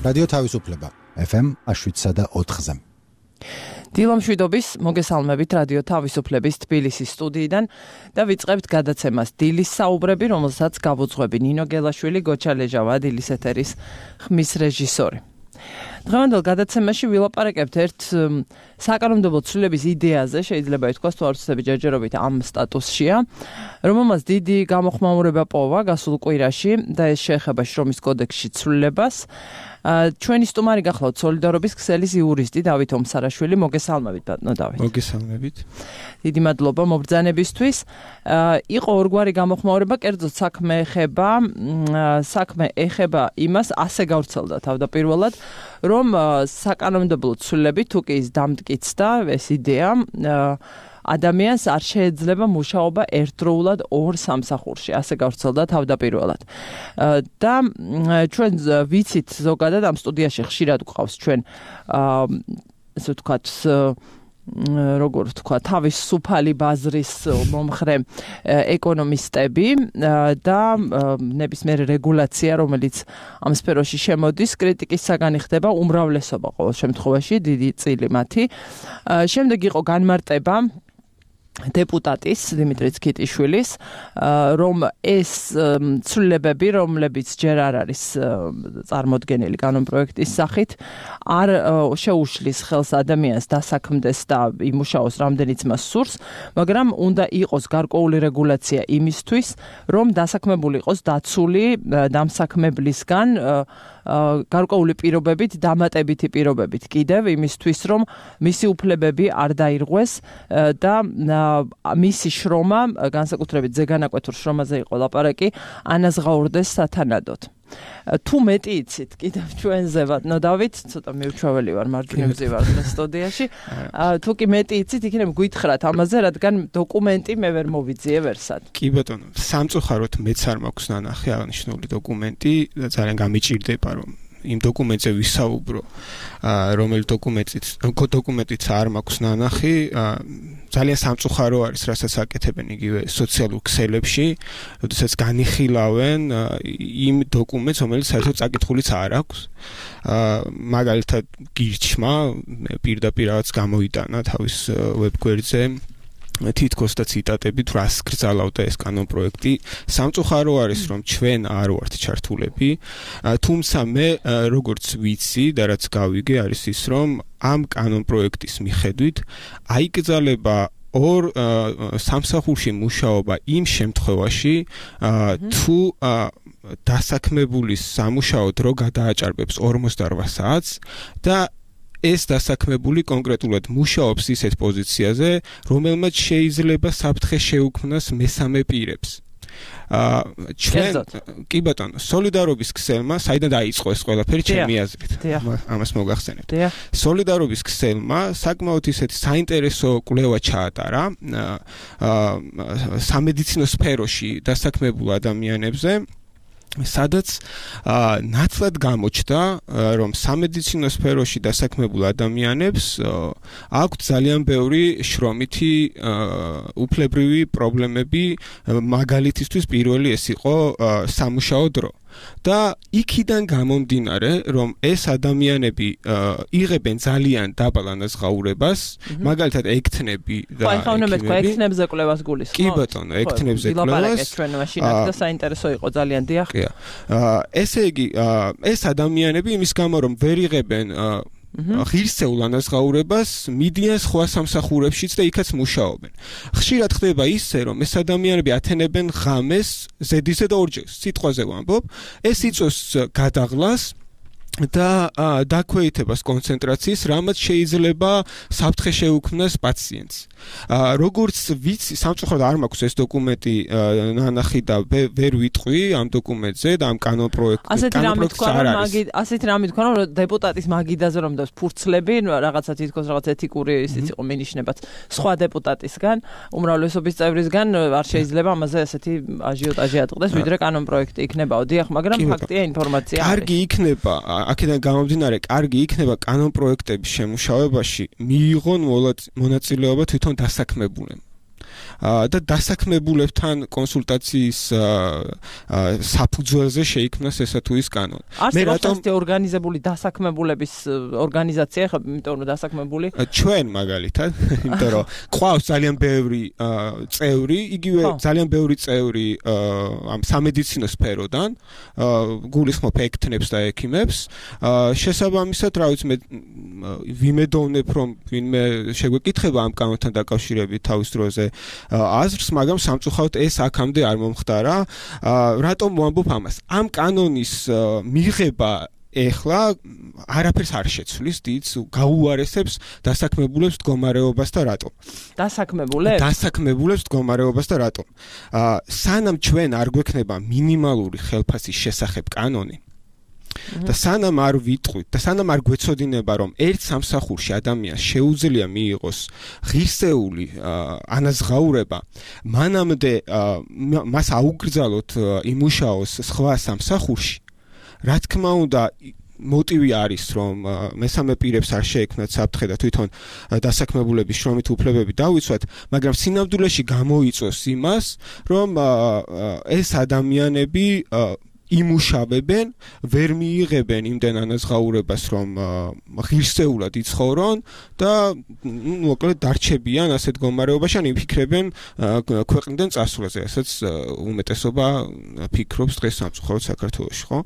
რადიო თავისუფლება FM 107.4-ზე. დილამშვიდობის მოგესალმებით რადიო თავისუფლების თბილისის სტუდიიდან და ვიწყებთ გადაცემას დილის საუბრები, რომელსაც გავუძღვები ნინო გელაშვილი, გოჩა ლეჟავა, დილის ეთერის ხმის რეჟისორი. დღევანდელ გადაცემაში ვილაპარაკებთ ერთ საკანონმდებლო ცვლილების იდეაზე, შეიძლება ითქვას თუ არ ვცდები ჯერჯერობით ამ სტატუსშია, რომელმაც დიდი გამოხმაურება პოვა გასულ კვირაში და ეს შეეხება შრომის კოდექსში ცვლილებას. ჩვენი სტუმარი გახლავთ სოლიდარობის ქსელის იურისტი დავით ომსარაშვილი. მოგესალმებით ბატონო დავით. მოგესალმებით. დიდი მადლობა მობრძანებისთვის. იყო ორგვარი გამოხმაურება, კერძოდ საქმე ეხება იმას, ასე გავრცელდა თავდაპირველად, რომ საკანონმდებლო ცვლილები თუ კი ის დამტკიცდა ეს იდეა, ადამიანს არ შეეძლება მუშაობა ერთდროულად ორ სამსახურში, ასე გავრცელდა თავდაპირველად. და ჩვენ ვიცით ზოგადად ამ სტუდიაში ხშირად გვყავს ჩვენ ასე ვთქვათ როგორ ვთქვა, თავისუფალი ბაზრის მომხრე ეკონომისტები და ნებისმიერი რეგულაცია, რომელიც ამ სფეროში შემოდის, კრიტიკის საგანი ხდება უმრავლესობა ყოველ შემთხვევაში, დიდი წილი მათი. შემდეგ იყო განმარტება დეპუტატის დიმიტრი ცქიტიშვილის, რომ ეს ცვლილებები, რომლებიც ჯერ არ არის წარმოდგენილი კანონპროექტის სახით, არ შეუშლის ხელს ადამიანს დასაქმდეს და იმუშაოს რამდენიც მას სურს, მაგრამ უნდა იყოს გარკვეული რეგულაცია იმისთვის, რომ დასაქმებული იყოს დაცული დამსაქმებლისგან გარკვეული პირობებით, დამატებითი პირობებით კიდევ იმისთვის, რომ მისი უფლებები არ დაირღვეს და მისი შრომა, განსაკუთრებით ზეგანაკვეთურ შრომაზე იყო ლაპარაკი, ანაზღაურდეს სათანადოდ. თუ მეტი იცით კიდევ ჩვენზე ბატონო დავით, ცოტა მიუჩვეველი ვარ მარჯვნივზე ვარ სტუდიაში. თუ კი მეტი იცით, იქნებ გითხრათ ამაზე, რადგან დოკუმენტი მე ვერ მოვიძიე ვერსად. კი ბატონო, სამწუხაროდ მეც არ მაქვს ნანახი აღნიშნული დოკუმენტი და ძალიან გამიჭირდება რომ იმ დოკუმენტზე ვისაუბრო, რომელი დოკუმენტიც არ მაქვს ნანახი, ძალიან სამწუხარო არის, რასაც აკეთებენ იგივე სოციალურ ქსელებში, როდესაც განიხილავენ იმ დოკუმენტს, რომელიც საერთოდ წაკითხულიც არ აქვს. მაგალითად, გირჩმა პირდაპირ რაღაც გამოიტანა თავის ვებგვერდზე თითქოს და ციტატებით რას გრძალავდა ეს კანონპროექტი. სამწუხარო არის, რომ ჩვენ არ ვართ ჩართულები, თუმცა მე როგორც ვიცი და რაც გავიგე არის ის, რომ ამ კანონპროექტის მიხედვით აიკრძალება ორ სამსახურში მუშაობა იმ შემთხვევაში, თუ დასაქმებულის სამუშაო დრო გადააჭარბებს 48 საათს და ეს დასაქმებული კონკრეტულად მუშაობს ისეთ პოზიციაზე, რომელმაც შეიძლება საფრთხე შეუქმნას მესამე პირებს. ჩვენ კი ბატონო, სოლიდარობის ქსელმა, საიდან დაიწყო ეს ყველაფერი ჩემი აზრით. ამას მოგახსენებთ. სოლიდარობის ქსელმა საკმაოდ ისეთი საინტერესო კვლევა ჩაატარა სამედიცინო სფეროში დასაქმებულ ადამიანებზე, სადაც ნათლად გამოჩნდა, რომ სამედიცინო სფეროში დასაქმებულ ადამიანებს აქვთ ძალიან ბევრი შრომითი უფლებრივი პრობლემები, მაგალითისთვის პირველი ეს იყო სამუშაო დრო. და იქიდან გამომდინარე, რომ ეს ადამიანები იღებენ ძალიან დაბალ ანაზღაურებას, მაგალითად ექთნები და ექთნებზე კვლევას გულისხმობთ? კი ბატონო, ექთნებზე კვლევას. ჩვენ მაშინაც და საინტერესო იყო ძალიან, დიახ. ესე იგი, ეს ადამიანები იმის გამო, რომ ვერ იღებენ ღირსეულ ანაზღაურებას, მიდიან სხვა სამსახურებშიც და იქაც მუშაობენ. ხშირად ხდება ისე, რომ ეს ადამიანები ათენებენ ღამეს ზედიზედ ორჯერ, სიტყვაზე ვამბობ, ეს იწვევს გადაღლას და დაქვეითებას კონცენტრაციის, რამაც შეიძლება საფრთხე შეუქმნას პაციენტს. როგორც ვიცი, სამწუხაროდ არ მაქვს ეს დოკუმენტი ნანახი და ვერ ვიტყვი ამ დოკუმენტზე და ამ კანონპროექტს. ასეთი რამე თქვა, რომ დეპუტატის მაგიდაზე რომ დავს ფურცლები, რაღაცა თითქოს რაღაც ეთიკური ისიც იყო მინიშნებაც სხვა დეპუტატისგან, უმრავლესობის წევრისგან არ შეიძლება ამაზე ასეთი აჟიოტაჟი ატყდეს, ვიდრე კანონპროექტი იქნებაო. დიახ, მაგრამ ფაქტია ინფორმაცია არის. კარგი იქნება, აქედან გამომდინარე, კარგი იქნება კანონპროექტების შემუშავებაში მიიღონ მონაწილეობა თვითონ დასაქმებულნი. და დასაქმებულებთან კონსულტაციის საფუძველზე შეიქმნას ესა თუ ის კანონი. მე რატომ ორგანიზებული დასაქმებულების ორგანიზაცია ხა, იმიტომ რომ დასაქმებული ჩვენ მაგალითად, იმიტომ რომ ყავს ძალიან ბევრი წევრი, იგივე ძალიან ბევრი წევრი ამ სამედიცინო სფეროდან, გულისხმობ ექთნებს და ექიმებს, შესაბამისად, რა ვიცი, მე ვიმედოვნებ, რომ ვინმე შეგვეკითხება ამ კანონთან დაკავშირებით თავის დროზე აზრს, მაგრამ სამწუხაროდ ეს აქამდე არ მომხდარა. რატომ ვამბობ ამას? ამ კანონის მიღება ეხლა არაფერს არ შეცვლის, დიდს გაუარესებს დასაქმებულებს მდგომარეობას და რატომ? დასაქმებულებს მდგომარეობას და რატომ? სანამ ჩვენ არ გვექნება მინიმალური ხელფასის შესახებ კანონი და სანამ არ ვიტყვით და სანამ არ გვეცოდინება, რომ ერთ სამსახურში ადამიანს შეუძლია მიიღოს ღირსეული ანაზღაურება, მანამდე მას აუგრძალოთ იმუშაოს სხვა სამსახურში, რა თქმა უნდა, მოტივი არის, რომ მესამე პირებს არ შეექმნათ საფრთხე და თვითონ დასაქმებულების შრომით უფლებები დავიცვათ, მაგრამ სინამდვილეში გამოიწვევს იმას, რომ ეს ადამიანები იმუშავებენ, ვერ მიიღებენ იმდენ ანაზღაურებას, რომ ღირსეულად იცხოვრონ და მოკლედ დარჩებიან ასეთ მდგომარეობაში, ან იფიქრებენ ქვეყნიდან წასვლაზე, რასაც უმეტესობა ფიქრობს დღეს სამწუხაროდ საქართველოში, ხო?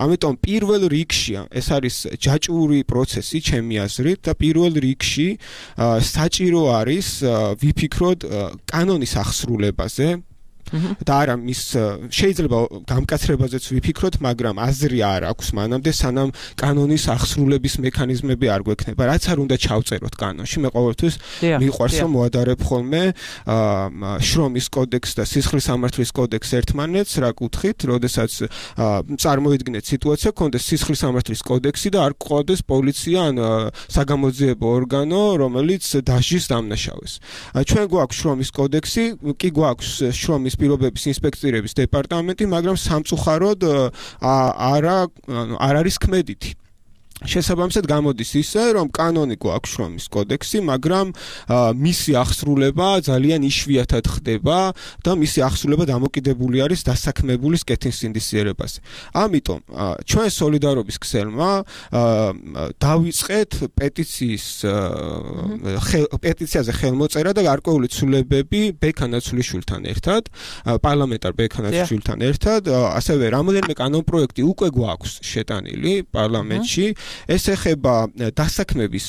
ამიტომ პირველ რიგში ეს არის ჯაჭვური პროცესი, ჩემი აზრით, და პირველ რიგში საჭირო არის ვიფიქროთ კანონის ახსრულებაზე. და არა მის შეიძლება გამკაცრებაზეც ვიფიქროთ, მაგრამ აზრი არ აქვს მანამდე, სანამ კანონის ახსრულების მექანიზმები არ გვექნება. რაც არ უნდა ჩავწეროთ კანონში, მე ყოველთვის მიყვარს რომ მოადარებ ხოლმე შრომის კოდექსს და სისხლის სამართლის კოდექსს ერთმანეთს, რა კუთხით, როდესაც წარმოიდგინეთ სიტუაცია, გქონდეს სისხლის სამართლის კოდექსი და არ გყავდეს პოლიცია ან საგამოძიებო ორგანო, რომელიც დასჯის დამნაშავეს. ჩვენ გვაქვს შრომის კოდექსი, კი გვაქვს შრომის პირობების ინსპექცირების დეპარტამენტი, მაგრამ სამწუხაროდ არ არის ქმედითი. შესაბამისად გამოდის ისე, რომ კანონი გვაქვს შრომის კოდექსი, მაგრამ მისი ახსრულება ძალიან იშვიათად ხდება და მისი ახსრულება დამოკიდებული არის დასაქმებულის კეთილსინდისიერებაზე. ამიტომ ჩვენ სოლიდარობის ქსელმა დავიწყეთ პეტიციაზე ხელმოწერა და გარკვეული ცვლილებები ბექანაცვლიშვილთან ერთად, პარლამენტარ ბექანაცვლიშვილთან ერთად, ასევე რამოდენიმე კანონპროექტი უკვე გვაქვს შეტანილი პარლამენტში. ეს ეხება დასაქმების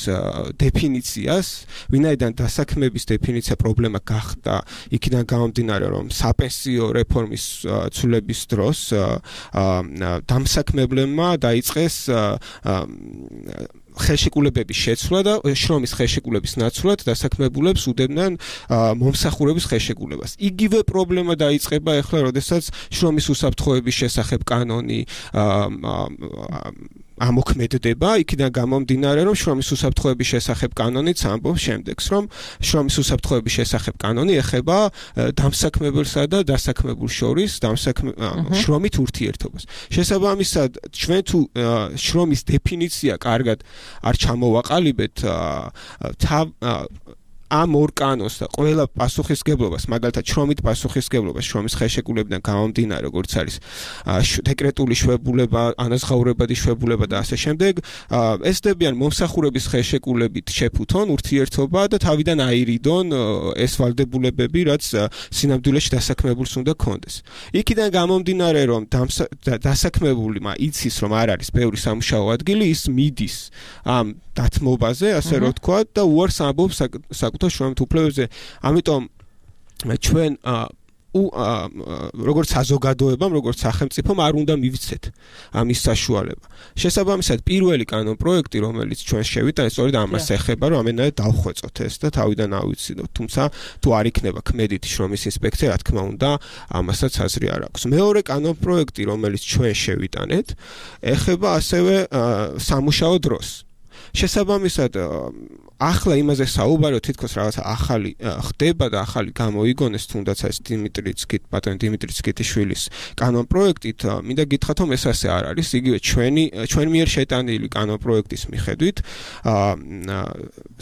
დეფინიციას, ვინაიდან დასაქმების დეფინიცია პრობლემა გახდა იქიდან გამომდინარე, რომ საპენსიო რეფორმის ცვლილების დროს დამსაქმებლებმა დაიწყეს ხელშეკრულებების შეცვლა და შრომის ხელშეკრულების ნაცვლად დასაქმებულებს უდევდნენ მომსახურების ხელშეკრულებას. იგივე პრობლემა დაიწყება ახლა, როდესაც შრომის უსაფრთხოების შესახებ კანონი ამოქმედდება, იქიდან გამომდინარე, რომ შრომის უსაფრთხოების შესახებ კანონიც ამბობს შემდეგს, რომ შრომის უსაფრთხოების შესახებ კანონი ეხება დამსაქმებელსა და დასაქმებულ შორის შრომით ურთიერთობას. შესაბამისად, ჩვენ თუ შრომის დეფინიცია კარგად არ ჩამოვაყალიბეთ, ამ ორ კანონს და ყველა პასუხისგებლობას, მაგალითად შრომით პასუხისგებლობას შრომის ხელშეკრულებიდან გამომდინარე, როგორც არის დეკრეტული შვებულება, ანაზღაურებადი შვებულება და ასე შემდეგ, ესდებიან მომსახურების ხელშეკრულებით შეფუთონ ურთიერთობა და თავიდან აირიდონ ეს ვალდებულებები, რაც სინამდვილეში დასაქმებულს უნდა ქონდეს. იქიდან გამომდინარე, რომ დასაქმებულმა იცის, რომ არ არის ბევრი სამუშაო ადგილი, ის მიდის ამ დათმობაზე, ასე რომ ვთქვათ, და უარს ამბობს საკუთარ შრომით უფლებებზე. ამიტომ ჩვენ როგორც საზოგადოებამ, როგორც სახელმწიფომ არ უნდა მივცეთ ამის საშუალება. შესაბამისად, პირველი კანონპროექტი, რომელიც ჩვენ შევიტანეთ, სწორედ ამას ეხება, რომ ამენად დავხვეწოთ ეს და თავიდან ავიცინოთ. თუმცა თუ არ იქნება ქმედითი შრომის ინსპექცია, რა თქმა უნდა, ამასაც აზრი არ აქვს. მეორე კანონპროექტი, რომელიც ჩვენ შევიტანეთ, ეხება ასევე სამუშაო დროს. შესაბამისად, ახლა იმაზე საუბარია თითქოს რაღაცა ახალი ხდება და ახალი გამოიგონეს თუნდაც ეს ბატონ დიმიტრი ცკიტიშვილის კანონ პროექტით მინდა გითხრათ რომ ეს ასე არ არის იგივე ჩვენ მიერ შეტანილი კანონ პროექტის მიხედვით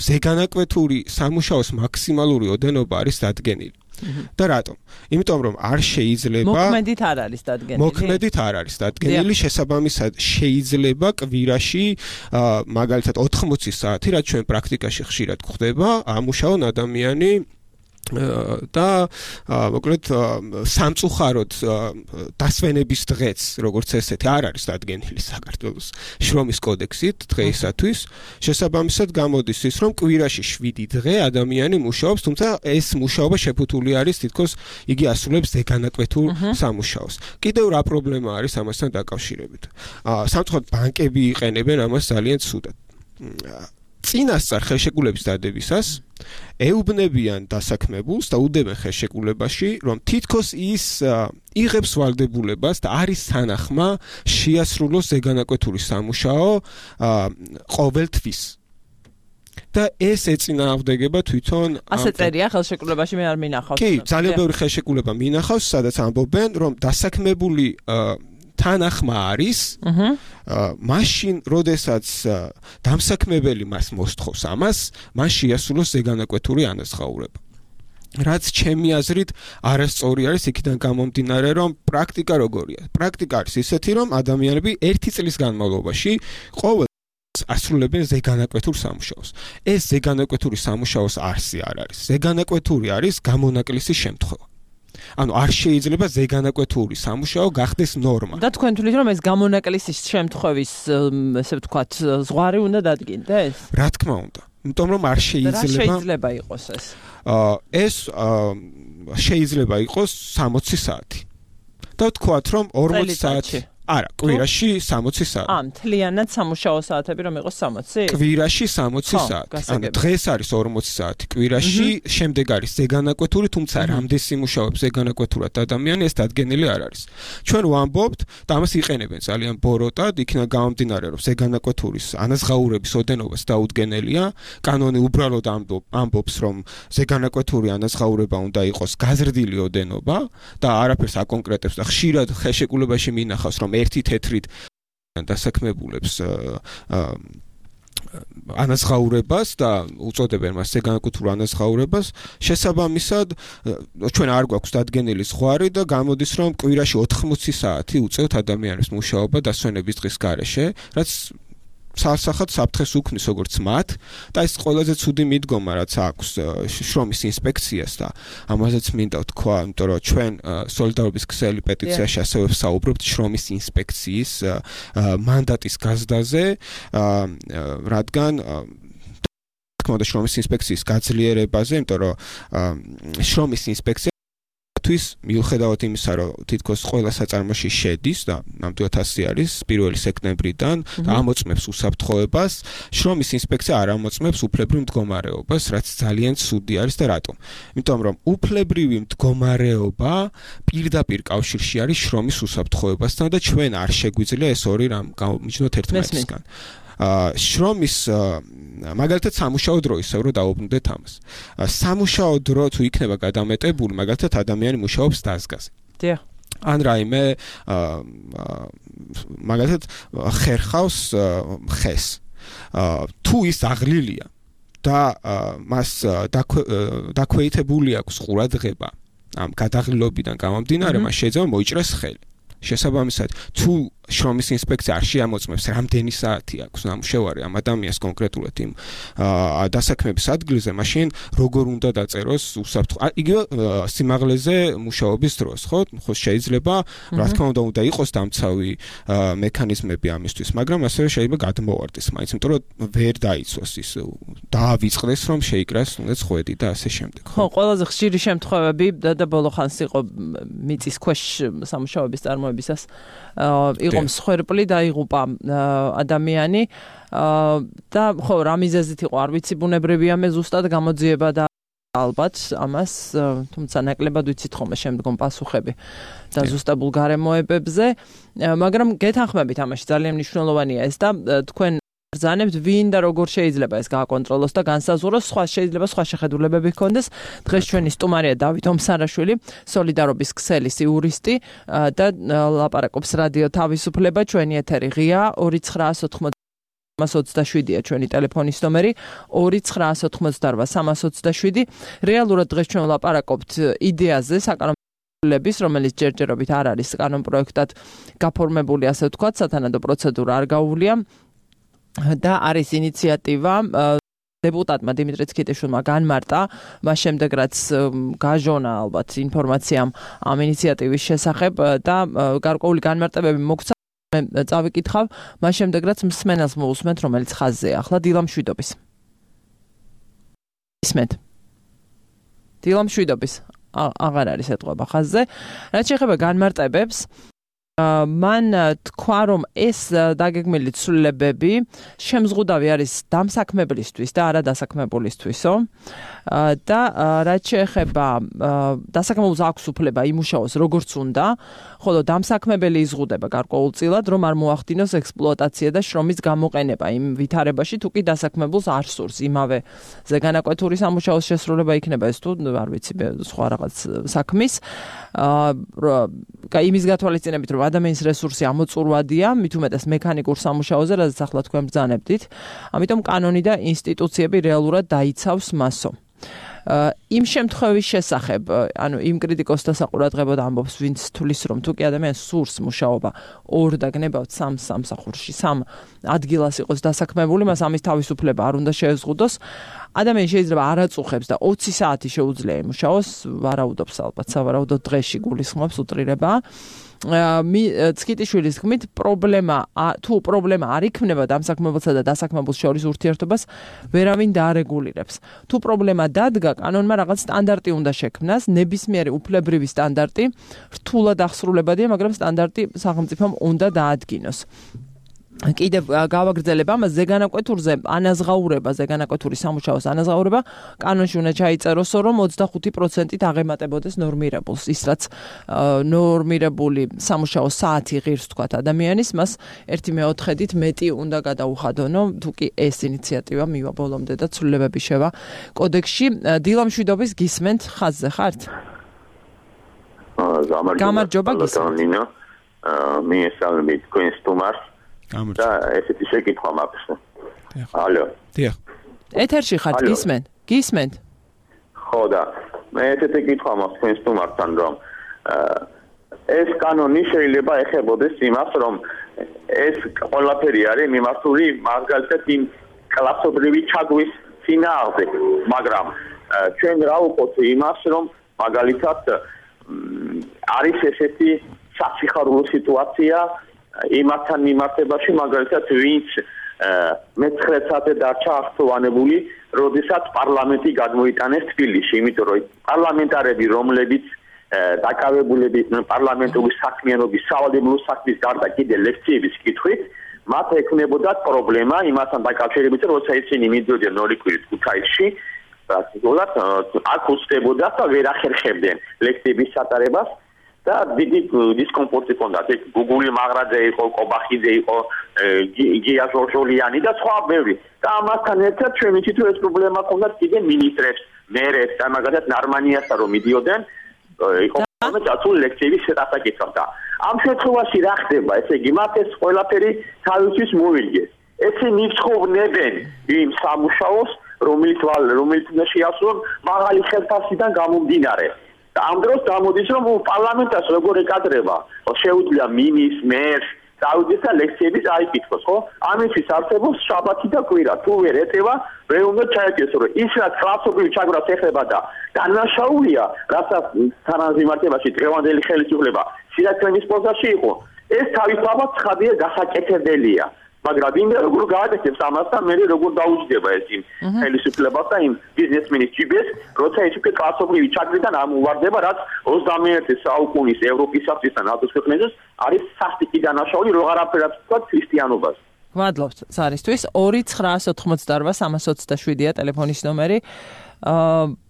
ზეგანაკვეთური სამუშაოს მაქსიმალური ოდენობა არის დადგენილი და რატომ? იმიტომ რომ არ შეიძლება მოქმედით არ არის დადგენილი. შესაბამისად შეიძლება კვირაში მაგალითად 80 საათი რაც ჩვენ პრაქტიკაში ხშირად გვხდება ამუშაონ ადამიანი და მოკლედ სამწუხაროდ დასვენების დღეც როგორც ესეთი არ არის დადგენილი საქართველოს შრომის კოდექსით დღეისათვის შესაბამისად გამოდის ის რომ კვირაში 7 დღე ადამიანი მუშაობს თუმცა ეს მუშაობა შეფუთული არის თითქოს იგი ასრულებს ზეგანაკვეთურ სამუშაოს კიდევ რა პრობლემა არის ამასთან დაკავშირებით სამწუხაროდ ბანკები იყენებენ ამას ძალიან ცუდად წინასწარ ხელშეკრულების დადებისას ეუბნებიან დასაქმებულს და უდებენ ხელშეკრულებაში, რომ თითქოს ის იღებს ვალდებულებას და არის სანახმა შეასრულოს ზეგანაკვეთური სამუშაო ყოველთვის. და ეს ეწინააღმდეგება თვითონ ასე წერია ხელშეკრულებაში მე არ მინახავს. კი, ძალიან ბევრი ხელშეკრულება მინახავს, სადაც ამბობენ, რომ დასაქმებული თანახმა არის მაშინ როდესაც დამსაქმებელი მას მოსთხოვს ამას მან შეასრულოს ზეგანაკვეთური ანაზღაურება რაც ჩემი აზრით არასწორი არის იქიდან გამომდინარე რომ პრაქტიკა როგორია პრაქტიკა არის ისეთი რომ ადამიანები 1 წლის განმავლობაში ყოველ ასრულებენ ზეგანაკვეთურ სამუშაოს ეს ზეგანაკვეთური სამუშაოს არსი არ არის ზეგანაკვეთური არის გამონაკლისის შემთხვევა ანუ არ შეიძლება ზეგანაკვეთური სამუშაო გახდეს ნორმა. და თქვენ თვლით რომ ეს გამონაკლისის შემთხვევის ესე ვთქვათ ზღვარი უნდა დადგინდეს? რა თქმა უნდა. იმიტომ რომ არ შეიძლება იყოს ეს. ეს შეიძლება იყოს 60 საათი. და ვთქვათ რომ 40 საათი არა, კვირაში 60 საათი. მთლიანად სამუშაო საათები რომ იყოს 60? კვირაში 60 საათი. ანუ დღეს არის 40 საათი, კვირაში შემდეგ არის ზეგანაკვეთური, თუმცა რამდენი მუშაობს ზეგანაკვეთურად ადამიანი ეს დადგენილი არ არის. ჩვენ ვამბობთ და ამას იყენებენ ძალიან ბოროტად, იქნა გამომდინარე რომ ზეგანაკვეთურის ანაზღაურების ოდენობას დაუდგენელია, კანონი უბრალოდ ამბობს რომ ზეგანაკვეთური ანაზღაურება უნდა იყოს გაზრდილი ოდენობა და არაფერს აკონკრეტებს და ხშირად ხელშეკრულებაში მინახავს რომ ერთი თეთრით დასაქმებულებს ანაზღაურებას და უწოდებენ მას ზეგანაკვეთურ ანაზღაურებას შესაბამისად ჩვენ არ გვაქვს დადგენილი ზღვარი და გამოდის რომ კვირაში 80 საათი უწევთ ადამიანებს მუშაობა დასვენების დღის გარეშე რაც სასახად საფრთხეს უქმნის როგორც მათ და ეს ყველაზე ცუდი მიდგომა რაც აქვს შრომის ინსპექციას და ამაზეც მინდა ვთქვა, იმიტომ რომ ჩვენ სოლიდარობის ქსელი პეტიციაში ასევე ვსაუბრობთ შრომის ინსპექციის მანდატის გაზრდაზე, რადგან თქმა უნდა შრომის ინსპექციის გაძლიერებაზე, იმიტომ რომ შრომის ინსპექცია მიუხედავად იმისა, რომ თითქოს ყველა საწარმოში შედის და ნამდვილად ასე არის 1 სექტემბრიდან და ამოწმებს უსაფრთხოებას, შრომის ინსპექცია არ ამოწმებს უფლებრივ მდგომარეობას, რაც ძალიან ცუდი არის და რატომ? იმიტომ რომ უფლებრივი მდგომარეობა პირდაპირ კავშირში არის შრომის უსაფრთხოებასთან და ჩვენ არ შეგვიძლია ეს ორი რამ გამომიჯნოთ ერთმანეთისგან. შრომის მაგალითად სამუშაო დრო ისევ რომ დაუბრუნდეთ ამას. სამუშაო დრო თუ იქნება გადამეტებული, მაგალითად ადამიანი მუშაობს დაზგაზე. დიახ. ან რაიმე მაგალითად ხერხავს ხეს. თუ ის აღლილია და მას დაქვეითებული აქვს ყურადღება ამ გადაღლილობიდან გამომდინარე, მას შეიძლება მოიჭრას ხელი. შესაბამისად, თუ შრომის ინსპექცია არ შეამოწმებს რამდენი საათი აქვს ნამუშევარი ამ ადამიანს კონკრეტულად იმ დასაქმების ადგილზე, მაშინ როგორ უნდა დაწეროს უსაფრთხო იგივე სიმაღლეზე მუშაობის დროს, ხო? ხო შეიძლება, რა თქმა უნდა იყოს დამცავი მექანიზმები ამისთვის, მაგრამ ასევე შეიძლება გადმოვარდეს მაინც, იმიტომ რომ ვერ დაიცვას ის დაავიწყდეს, რომ შეიკრას თუნდაც ხვედი და ასე შემდეგ. ხო, ყველაზე ხშირი შემთხვევები და ბოლო ხანს იყო მიწის ქვეშ სამუშაოების წარმოებისას იყო მსხვერპლი დაიღუპა ადამიანი და ხო რა მიზეზით იყო არ ვიცი ბუნებრივია მე ზუსტად გამოძიება და ალბათ ამას თუმცა ნაკლებად ვიცით ხოლმე შემდგომ პასუხები და ზუსტებულ გარემოებებზე მაგრამ გეთანხმებით ამაში ძალიან მნიშვნელოვანია ეს და თქვენ ბრძანებთ ვინ და როგორ შეიძლება ეს გააკონტროლოს და განსაზღვროს, სხვა შეიძლება სხვა შეხედულებები ჰქონდეს. დღეს ჩვენი სტუმარია დავით ომსარაშვილი, სოლიდარობის ქსელის იურისტი და ლაპარაკობს რადიო თავისუფლება. ჩვენი ეთერი ღია 298-327-ია ჩვენი ტელეფონის ნომერი 298-327. რეალურად დღეს ჩვენ ლაპარაკობთ იდეაზე საკანონმდებლობის, რომელიც ჯერჯერობით არ არის კანონპროექტად გაფორმებული, ასე ვთქვათ, სათანადო პროცედურა არ გაუვლია და არის ინიციატივა დეპუტატმა დიმიტრი ცქიტიშვილმა განმარტა, მას შემდეგ რაც გაჟონა ალბათ ინფორმაცია ამ ინიციატივის შესახებ და გარკვეული განმარტებები მოგცა. მე წავიკითხავ, მას შემდეგ რაც მსმენელს მოусმენთ, რომელიც ხაზზეა. ახლა დილამშვიდობის. ისმენთ. დილამშვიდობის. აღარ არის ეთყობა ხაზზე. რაც შეეხება განმარტებებს, მან თქვა, რომ ეს დაგეგმილი ცვლილებები შემზღუდავი არის დამსაქმებლისთვის და არა დასაქმებულისთვისო. და რაც შეეხება დასაქმებულს აქვს უფლება იმუშაოს როგორც უნდა, ხოლო დამსაქმებელი იზღუდება გარკვეულწილად, რომ არ მოახდინოს ექსპლუატაცია და შრომის გამოყენება იმ ვითარებაში, თუ კი დასაქმებულს არ სურს იმავე ზეგანაკვეთური სამუშაოს შესრულება იქნება ეს თუ არ ვიცი სხვა რაღაც საქმის. იმის გათვალისწინებით, რომ ადამიანის რესურსი ამოწურვადია, მით უმეტეს მექანიკურ სამუშაოზე, რადგან ახლა თქვენ ბრძანებდით. ამიტომ კანონი და ინსტიტუციები რეალურად დაიცავს მასო. იმ შემთხვევის შესახებ, ანუ იმ კრიტიკოსთა საყურადღებოდ ამბობს, ვინც თulis რომ თუ კი ადამიანს სურს მუშაობა ორ და გნებავთ სამ სამსახურში, სამ ადგილას იყოს დასაქმებული, მას ამის თავისუფლება არ უნდა შეეზღუდოს. ადამიანი შეიძლება არ აწუხებს და 20 საათი შეუძლია იმუშაოს, ვარაუდობს ალბათ, სავარაუდოდ დღეში გულისხმობს უტრირება. ცქიტიშვილის თქმით, თუ პრობლემა არ იქნება დამსაქმებელსა და დასაქმებულს შორის ურთიერთობას, ვერავინ დაარეგულირებს. თუ პრობლემა დადგა, კანონმა რაღაც სტანდარტი უნდა შექმნას, ნებისმიერი უფლებრივი სტანდარტი, რთულად აღსრულებადია, მაგრამ სტანდარტი სახელმწიფომ უნდა დაადგინოს. კიდევ გავაგრძელებ ამას, ზეგანაკვეთურზე ანაზღაურება, ზეგანაკვეთური სამუშაოს ანაზღაურება კანონში უნდა ჩაიწეროსო, რომ 25%-ით აღემატებოდეს ნორმირებულს. ის რაც ნორმირებული სამუშაოს საათი ღირს თქვათ ადამიანის, მას 1/4-ით მეტი უნდა გადაუხადონო, თუ კი ეს ინიციატივა მივა ბოლომდე და ცვლილებები შევა კოდექსში. დილამშვიდობის გისმენთ, ხაზზე ხართ? გამარჯობა გისმენთ. მიესალმებით თქვენ სტუმარს. და ესეთი შეკითხვა მაქვს. ალო. დიახ. ეთერში ხართ, გისმენთ? ხო და მე ესეთი კითხვა მაქვს თქვენ სტუმართან, რომ ეს კანონი შეიძლება ეხებოდეს იმას, რომ ეს ყველაფერი არის მიმართული მაგალითად იმ კლასობრივი ჩაგვის წინააღმდეგ, მაგრამ ჩვენ რა ვუყოთ იმას, რომ მაგალითად არის ესეთი სასიხარულო სიტუაცია იმათთან მიმართებაში, მაგალითად ვინც მე-9 საათზე დარჩა აღწევანებული, როდესაც პარლამენტი გადმოიტანეს თბილისში, იმიტომ რომ პარლამენტარები, რომლებიც დაკავებულები პარლამენტური საქმიანობის, სავალდებულო საქმის გარდა კიდე ლექციების კითხვით, მათ ექნებოდათ პრობლემა იმასთან დაკავშირებით, როცა ისინი მიდიოდნენ ნორიკვირით ქუთაისში, პრაქტიკულად აქ უსწრებოდათ და ვერ ახერხებდნენ ლექციების სატარებას. და დიდი დისკომფორტი ჰქონდათ. გუგული მაღრაძე იყო, კობახიძე იყო, გია ჟორჟოლიანი და სხვა ბევრი. და ამასთან ერთად ჩვენ ვიცით, რომ ეს პრობლემა ჰქონდათ კიდე მინისტრებს, მერებს და მაგალითად ნარმანიასთან რომ მიდიოდნენ, იყო მომწაწული ლექციების შესახებ და ამ შემთხვევაში რა ხდება? ესე იგი, მათ ეს ყველაფერი თავისთვის მოიგეს. ესენი იცხოვნებენ იმ სამუშაოს, რომელიც უნდა შეასრულონ მაღალი ხელფასიდან გამომდინარე. და ამ დროს გამოდის, რომ პარლამენტას როგორ ეკადრება, შეუძლია მინისტრს, მერს დაუძეს და ლექციები წაიკითხოს, ხო? ამისთვის არსებობს შაბათი და კვირა. თუ ვერ ეტევა, ვერ უნდა ჩაეკეთოს, რომ ის რაც კლასობრივ ჩაგვრას ეხება და დანაშაულია, რასაც თანამიმართებაში დღევანდელი ხელისუფლება სირაქლემის პოზაში იყო, ეს თავისთავად ცხადია გასაკეთებელია. მაგრამ ვინმე როგორ გააკეთებს ამას და მე როგორ დაუჯდება ეს იმ ხელისუფლებას და იმ ბიზნესმენის ჯიბეს, როცა ის უკვე კლასობრივი ჩაგვრიდან ამოვარდება, რაც 21 საუკუნის ევროპისათვის და ნატოს ქვეყნებზეც არის სასტიკი დანაშაული, რო არაფერად თქვა ქრისტიანობას. გვადლობთ ზარისთვის 2988327-ია ტელეფონის ნომერი.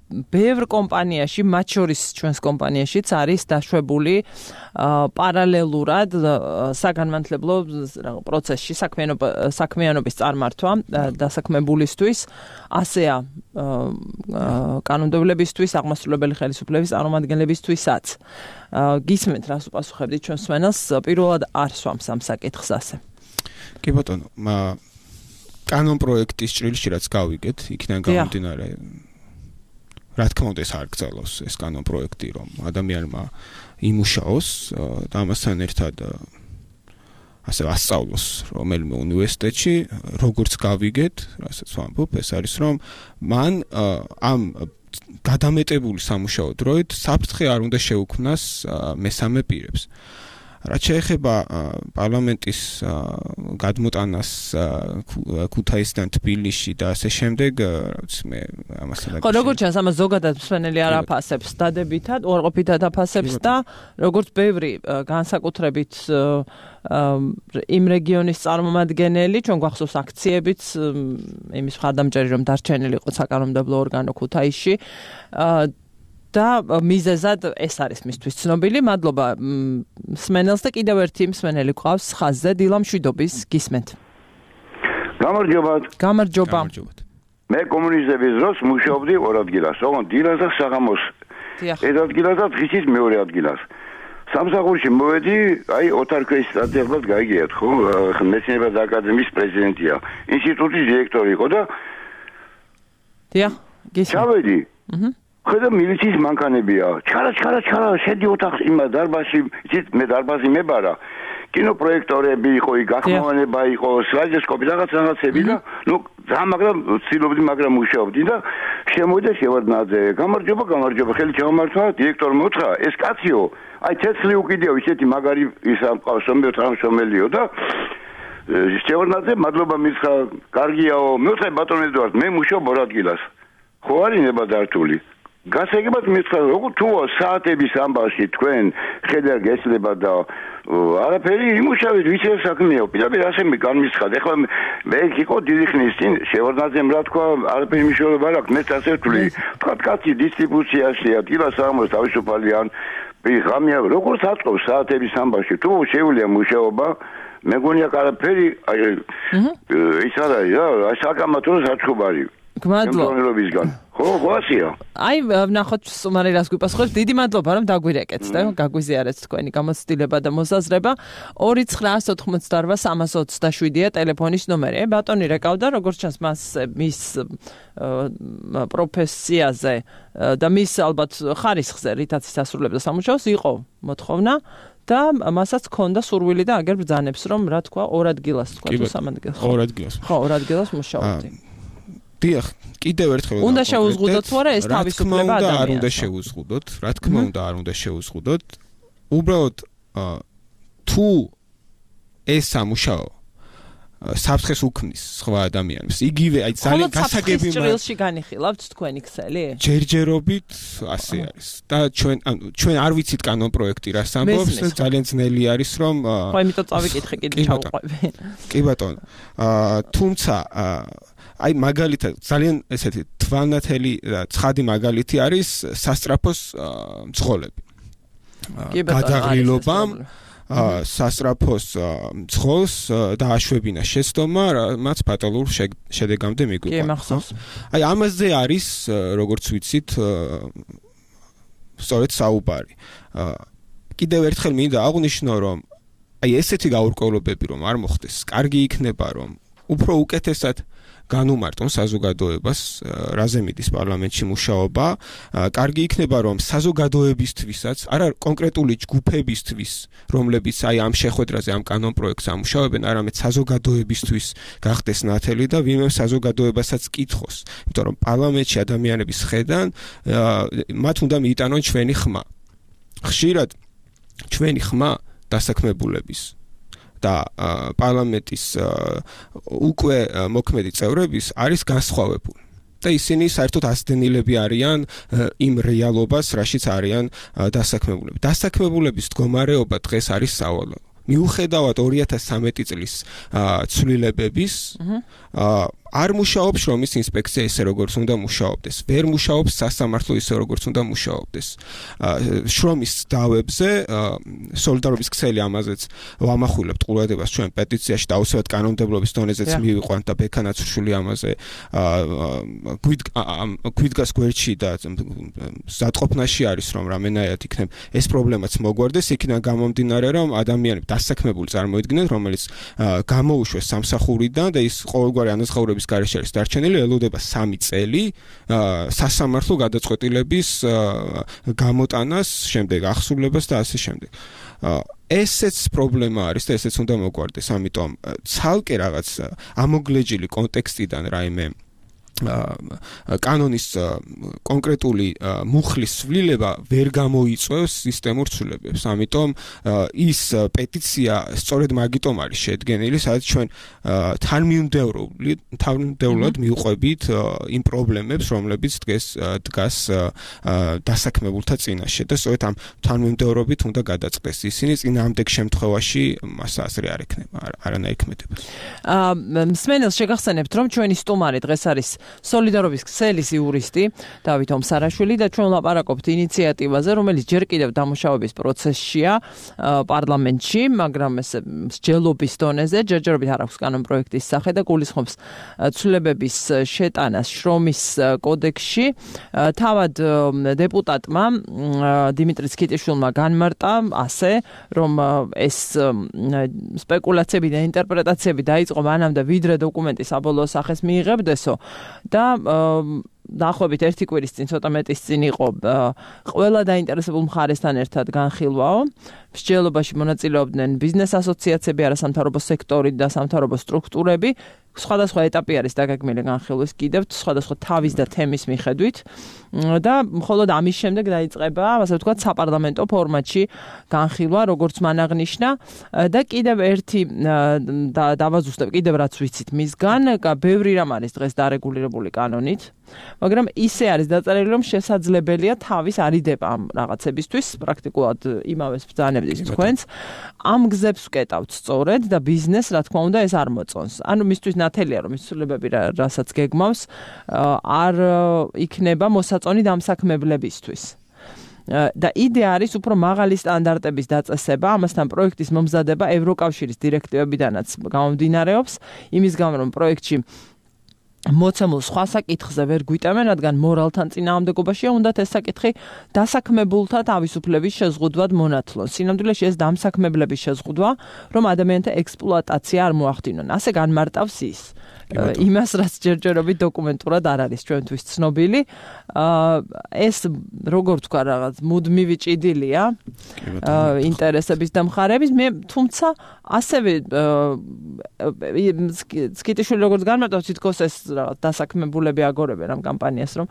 ბევრ კომპანიაში, მათ შორის ჩვენს კომპანიაშიც არის დაშვებული პარალელურად საგანმანათლებლო პროცესში საქმიანობის წარმართვა დასაქმებულისთვის, ასეა კანონმდებლობისთვის, აღმასრულებელი ხელისუფლების წარმომადგენლებისთვისაც. გისმენთ, რას უპასუხებდით ჩვენს მსმენელს, პირველად არ swams ამ საკითხს ასე. კი ბატონო, კანონპროექტის ჭრილში რაც გავიგეთ, იქიდან გამომდინარე რა თქმა უნდა ეს არ გწელოს ეს კანონპროექტი რომ ადამიანმა იმუშაოს და ამასთან ერთად ასე ასწავლოს რომელიმე უნივერსიტეტში როგორც გავიგეთ რასაც ვამბობ ეს არის რომ მან ამ გადამეტებული სამუშაო დროით საფრთხე არ უნდა შეუქმნას მესამე პირებს რაც შეეხება პარლამენტის გადმოტანას ქუთაისიდან თბილისში და ასე შემდეგ, მე ამასთან ხო, როგორც ჩანს, ამას ზოგადად მსმენელი არ აფასებს დადებითად, უარყოფითად აფასებს და როგორც ბევრი განსაკუთრებით იმ რეგიონის წარმომადგენელი, ჩვენ გვახსოვს აქციებიც, იმის მხარდამჭერი რომ დარჩენილი იყო საკანონმდებლო ორგანო ქუთაისში და მიზეზად ეს არის მისთვის ცნობილი. მადლობა მსმენელს და კიდევ ერთი მსმენელი გვყავს ხაზზე დილა მშვიდობის გისმენთ. გამარჯობათ. გამარჯობა. მე კომუნისტების დროს მუშაობდი ორ ადგილას, ოღონდ დილას და საღამოს. ერთ ადგილას და დღისით მეორე ადგილას. სამსახურში მოვედი, აი ოთარქვის სტატიებლად გაიგიათ, ხო? მეცნიერებათა აკადემიის პრეზიდენტია. ინსტიტუტის დირექტორი იყო და დიახ, გისმენთ. ჩავედი. ხედა მილიციის მანქანებია. ჩარა, შედი ოთახში, იმ დარბაზში, იცით, მე დარბაზი მებარა. კინოპროექტორები იყო, გახმოვანება იყო, სლაიდოსკოპი რაღაცები და ნუ მაგრამ ცდილობდი, მაგრამ მუშაობდი და შემოვიდა შევარდნაძე. გამარჯობა, ხელი ჩამომართვა, დირექტორმა უთხრა, ეს კაციო, აი ცეცხლი უკიდეო, ისეთი მაგარი ისა მყავს, სომბიო თანამშრომელიო და შევარდნაძე, მადლობა მისხა, კარგიაო, მე უთხრა ბატონო ედუარდ, მე მუშაობ ორ ადგილას. ხო არის ნებადართული. გასაგებად მითხრა როგორ თუა საათების ამბავში თქვენ ხედარ გესლება და არაფერი იმუშავეთ ვიცი საქმეა პირდაპირ ასე მე განმისხად ეხლა მე იყო დიდი ხნის წინ შევარდნაძემ რა თქვა არაფერი მნიშვნელობა არ აქვს მე ასე ვთვლი თქვა კაცი დისტრიბუციაშია დილას საღამოს თავისუფალი ან ღამეა როგორც აწყობს საათების ამბავში თუ შეუძლია მუშაობა მეგონია არაფერი ის არის რა საკამათო საჩხუბარი გმადლობა. ხო, გასია. აი, ნახოთ სუმარი რას გვიპასუხებს. დიდი მადლობა რომ დაგვირეკეთ და გაგვიზიარეთ თქვენი გამოცდილება და მოსაზრება. 2988327-ია ტელეფონის ნომერი. ბატონი რეკავდა, როგორც ჩანს მას მის პროფესიაზე და მის ალბათ ხარისხზე, რითაც ის ასრულებდა სამუშაოს, იყო მოთხოვნა და მასაც ჰქონდა სურვილი და აგერ ბრძანებს რომ რა თქვა, ორ ადგილას თქვა თუ სამ ადგილას. ორ ადგილას. ხო, ორ ადგილას მუშაობდი. დიახ, კიდევ ერთხელ უნდა შეუზღუდოთ თუ არა ეს თავისუფლება ადამიანს. არ უნდა შეუზღუდოთ, რა თქმა უნდა არ უნდა შეუზღუდოთ. უბრალოდ თუ ეს სამუშაო საფრთხეს უქმნის სხვა ადამიანებს. იგივე აი ძალიან გასაგები ჭრილში განიხილავთ თქვენი ქსელი? ჯერჯერობით ასე არის. და ჩვენ არ ვიცით კანონპროექტი რას ამბობს და ძალიან ძნელი არის რომ ხო იმიტომ წავიკითხე კიდე ჩავყვები. კი ბატონო. თუმცა აი მაგალითად ძალიან ესეთი თვალნათელი და ცხადი მაგალითი არის სასტრაფოს მძღოლები. გადაღრილობამ სასტრაფოს მძღოლს დააშვებინა შეცდომა, რაც ფატალურ შედეგამდე მიგვიყვანა. აი ამაზე არის, როგორც ვიცით, სწორედ საუბარი. კიდევ ერთხელ მინდა აღვნიშნო, რომ აი ესეთი გაურკვევლობები რომ არ მოხდეს, კარგი იქნება, რომ უფრო უკეთესად განუმარტონ საზოგადოებას, რაზე მიდის პარლამენტში მუშაობა, კარგი იქნება რომ საზოგადოებისთვისაც, არა კონკრეტული ჯგუფებისთვის, რომლებიც აი ამ შეხვედრაზე ამ კანონპროექტს ამუშავებენ, არამედ საზოგადოებისთვის გახდეს ნათელი და ვინმე საზოგადოებასაც კითხოს, იმიტომ რომ პარლამენტში ადამიანების ხედან მათ უნდა მიიტანონ ჩვენი ხმა. ხშირად ჩვენი ხმა დასაქმებულების და პარლამენტის უკვე მოქმედი წევრების არის განსხვავებული და ისინი საერთოდ ასდენილები არიან იმ რეალობას, რაშიც არიან დასაქმებულები. დასაქმებულების მდგომარეობა დღეს არის სავალალო. მიუხედავად 2013 წლის ცვლილებების არ მუშაობს შრომის ინსპექცია ისე როგორც უნდა მუშაობდეს. ვერ მუშაობს სასამართლო ისე როგორც უნდა მუშაობდეს. შრომის დავებზე სოლიდარობის ქსელი ამაზეც ვამახვილებთ ყურადღებას ჩვენ პეტიციაში და აუცილებლად კანონმდებლობის დონეზეც მივიყვანთ და ბექანაცრუშვილი ამაზე გვიდგას გვერდში და ზადყოფნაში არის რომ რამენაირად იქნებ ეს პრობლემაც მოგვარდეს იქიდან გამომდინარე რომ ადამიანები დასაქმებული წარმოიდგინეთ რომელიც გამოუშვეს სამსახურიდან და ის ყოველგვარი ანაზღაურების გარეშე არის დარჩენილი ელოდება 3 წელი სასამართლო გადაწყვეტილების გამოტანას შემდეგ ახსულებას და ასე შემდეგ ესეც პრობლემა არის და ესეც უნდა მოგვარდეს ამიტომ ცალკე რაღაც ამოგლეჯილი კონტექსტიდან რაიმე კანონის კონკრეტული მუხლის სვლილება ვერ გამოიწვევს სისტემურ ცვლილებებს. ამიტომ ის პეტიცია სწორედ მაგიტომ არის შედგენილი, სადაც ჩვენ თანმიმდევრულად მივყვებით იმ პრობლემებს, რომლებიც დგას დასაქმებულთა წინაშე და სწორედ ამ თანმიმდევრობით უნდა გადაწყდეს ისინი წინააღმდეგ შემთხვევაში მას აზრი არ ექნება, არანაირ ქმედებას. მსმენელს შეგახსენებთ, რომ ჩვენი სტუმარი დღეს არის სოლიდარობის ქსელის იურისტი დავით ომსარაშვილი და ჩვენ ვლაპარაკობთ ინიციატივაზე, რომელიც ჯერ კიდევ დამუშავების პროცესშია პარლამენტში, მაგრამ ეს მსჯელობის დონეზე ჯერჯერობით არ აქვს კანონპროექტის სახე და გულისხმობს ცვლილებების შეტანას შრომის კოდექსში. თავად დეპუტატმა დიმიტრი სქიტიშვილმა განმარტა ასე, რომ ეს სპეკულაციები და ინტერპრეტაციები დაიწყო მანამდე ვიდრე დოკუმენტი საბოლოო სახეს მიიღებდესო და დაახლოებით 1 კვირის წინ ცოტა მეტის წინ იყო ყველა დაინტერესებულ მხარესთან ერთად განხილვაო. მსჯელობაში მონაწილეობდნენ ბიზნეს ასოციაციები, არასამთავრობო სექტორი და სამთავრობო სტრუქტურები. სხვადასხვა ეტაპი არის დაგეგმილი განხილვის კიდევ სხვადასხვა თავის და თემის მიხედვით და მხოლოდ ამის შემდეგ დაიწყება, ასე ვთქვათ, საპარლამენტო ფორმატში განხილვა, როგორც მან აღნიშნა და კიდევ ერთი დავაზუსტებ, კიდევ რაც ვიცით მისგან, ბევრი რამ არის დღეს დარეგულირებული კანონით, მაგრამ ისე არის დაწერილი, რომ შესაძლებელია თავის არიდება ამ რაღაცებისთვის, პრაქტიკულად იმავეს ბრძანებდის თქვენს. ამ გზებს ვკეტავთ სწორედ და ბიზნესს, რა თქმა უნდა, ეს არ მოწონს. ანუ მისთვის ნათელია, რომ ის ცვლილებები რასაც გეგმავს, არ იქნება მოსაწონი დამსაქმებლებისთვის. და იდეა არის უფრო მაღალი სტანდარტების დაწესება, ამასთან პროექტის მომზადება ევროკავშირის დირექტივებიდანაც გამომდინარეობს, იმის გამო რომ პროექტში მოცემულ სხვა საკითხზე ვერ გვიტევენ, რადგან მორალთან წინააღმდეგობაშია, უნდათ ეს საკითხი დასაქმებულთა თავისუფლების შეზღუდვად მონათლონ. სინამდვილეში ეს დამსაქმებლების შეზღუდვა, რომ ადამიანთა ექსპლუატაცია არ მოახდინონ. ასე განმარტავს ის. იმას, რაც ჯერჯერობით დოკუმენტურად არ არის ჩვენთვის ცნობილი. ეს როგორ თქვა რაღაც მუდმივი ჭიდილია ინტერესების და მხარების, თუმცა ასევე სქიტიშვილი როგორც განმარტავს, თითქოს ეს დასაქმებულები აგორებენ ამ კამპანიას, რომ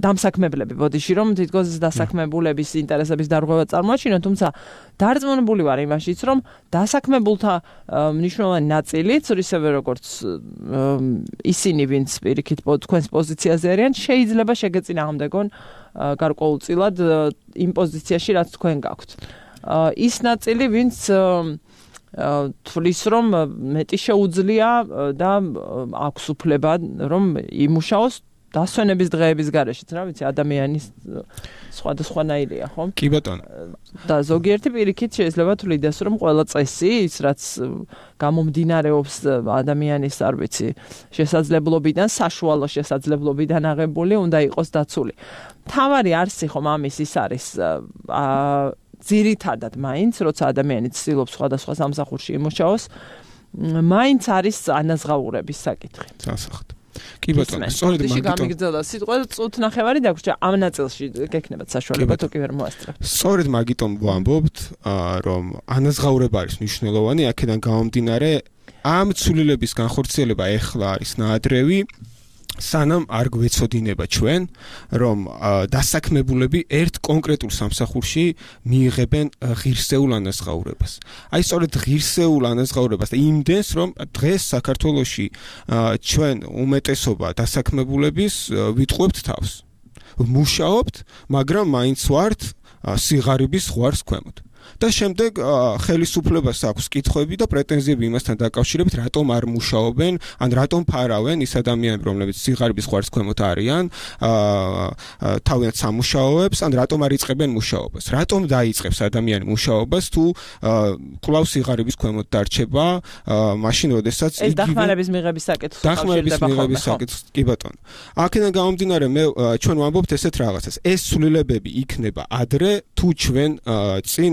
დამსაქმებლები, ბოდიში, რომ თითქოს დასაქმებულების ინტერესების დარღვევა წარმოაჩინონ, თუმცა დარწმუნებული ვარ იმაშიც, რომ დასაქმებულთა მნიშვნელოვანი ნაწილიც, ისევე როგორც ისინი, ვინც პირიქით თქვენს პოზიციაზე არიან, შეიძლება შეგეწინააღმდეგონ გარკვეულწილად იმ პოზიციაში, რაც თქვენ გაქვთ. ის ნაწილი, ვინც თვლის, რომ მეტი შეუძლია და აქვს უფლება, რომ იმუშაოს დასვენების დღეების გარეშეც, რა ვიცი, ადამიანის სხვადასხვანაირია, ხო? კი ბატონო. და ზოგიერთი პირიქით შეიძლება თვლიდეს, რომ ყველა წესი, ის რაც გამომდინარეობს ადამიანის, არ ვიცი, შესაძლებლობიდან, საშუალო შესაძლებლობიდან აღებული, უნდა იყოს დაცული. თავარი არსი ხომ ამის ის არის ძირითადად მაინც, როცა ადამიანი ცდილობს სხვადასხვა სამსახურში იმუშაოს, მაინც არის ანაზღაურების საკითხი. სასახთ. კი ბატონო, სწორედ მაგიტომ გამიგრძელდა სიტყვა წუთ ნახევარი დაგვრჩა ამ ნაწილში გექნებათ საშუალება თუ კი ვერ მოასწრებ. სწორედ მაგიტომ ვამბობთ, რომ ანაზღაურება არის მნიშვნელოვანი, აქედან გამომდინარე, ამ ცვლილების განხორციელება ეხლა არის ნაადრევი. სანამ არ გვეცოდინება ჩვენ, რომ დასაქმებულები ერთ კონკრეტულ სამსახურში მიიღებენ ღირსეულ ანაზღაურებას. აი სწორედ ღირსეულ ანაზღაურებას და იმდენს, რომ დღეს საქართველოში ჩვენ უმეტესობა დასაქმებულების ვიტყუებთ თავს. მუშაობთ, მაგრამ მაინც ვართ სიღარიბის ზღვარს ქვემოთ. და შემდეგ ხელისუფლებას აქვს კითხვები და პრეტენზიები იმასთან დაკავშირებით, რატომ არ მუშაობენ, ან რატომ ფარავენ ის ადამიანები, რომლებიც სიღარიბის ხვარს ქვემოთ არიან, თავიანთ სამუშაოებს, ან რატომ არ იწყებენ მუშაობას. Რატომ დაიწყებს ადამიანი მუშაობას თუ კვლავ სიღარიბის ქვემოთ დარჩება, მაშინ როდესაც ეს დახმარების მიღების საკითხს კი ბატონო. აქედან გამომდინარე მე ჩვენ ვამბობთ ესეთ რაღაცას. ეს ცვლილებები იქნება ადრე თუ ჩვენ წინ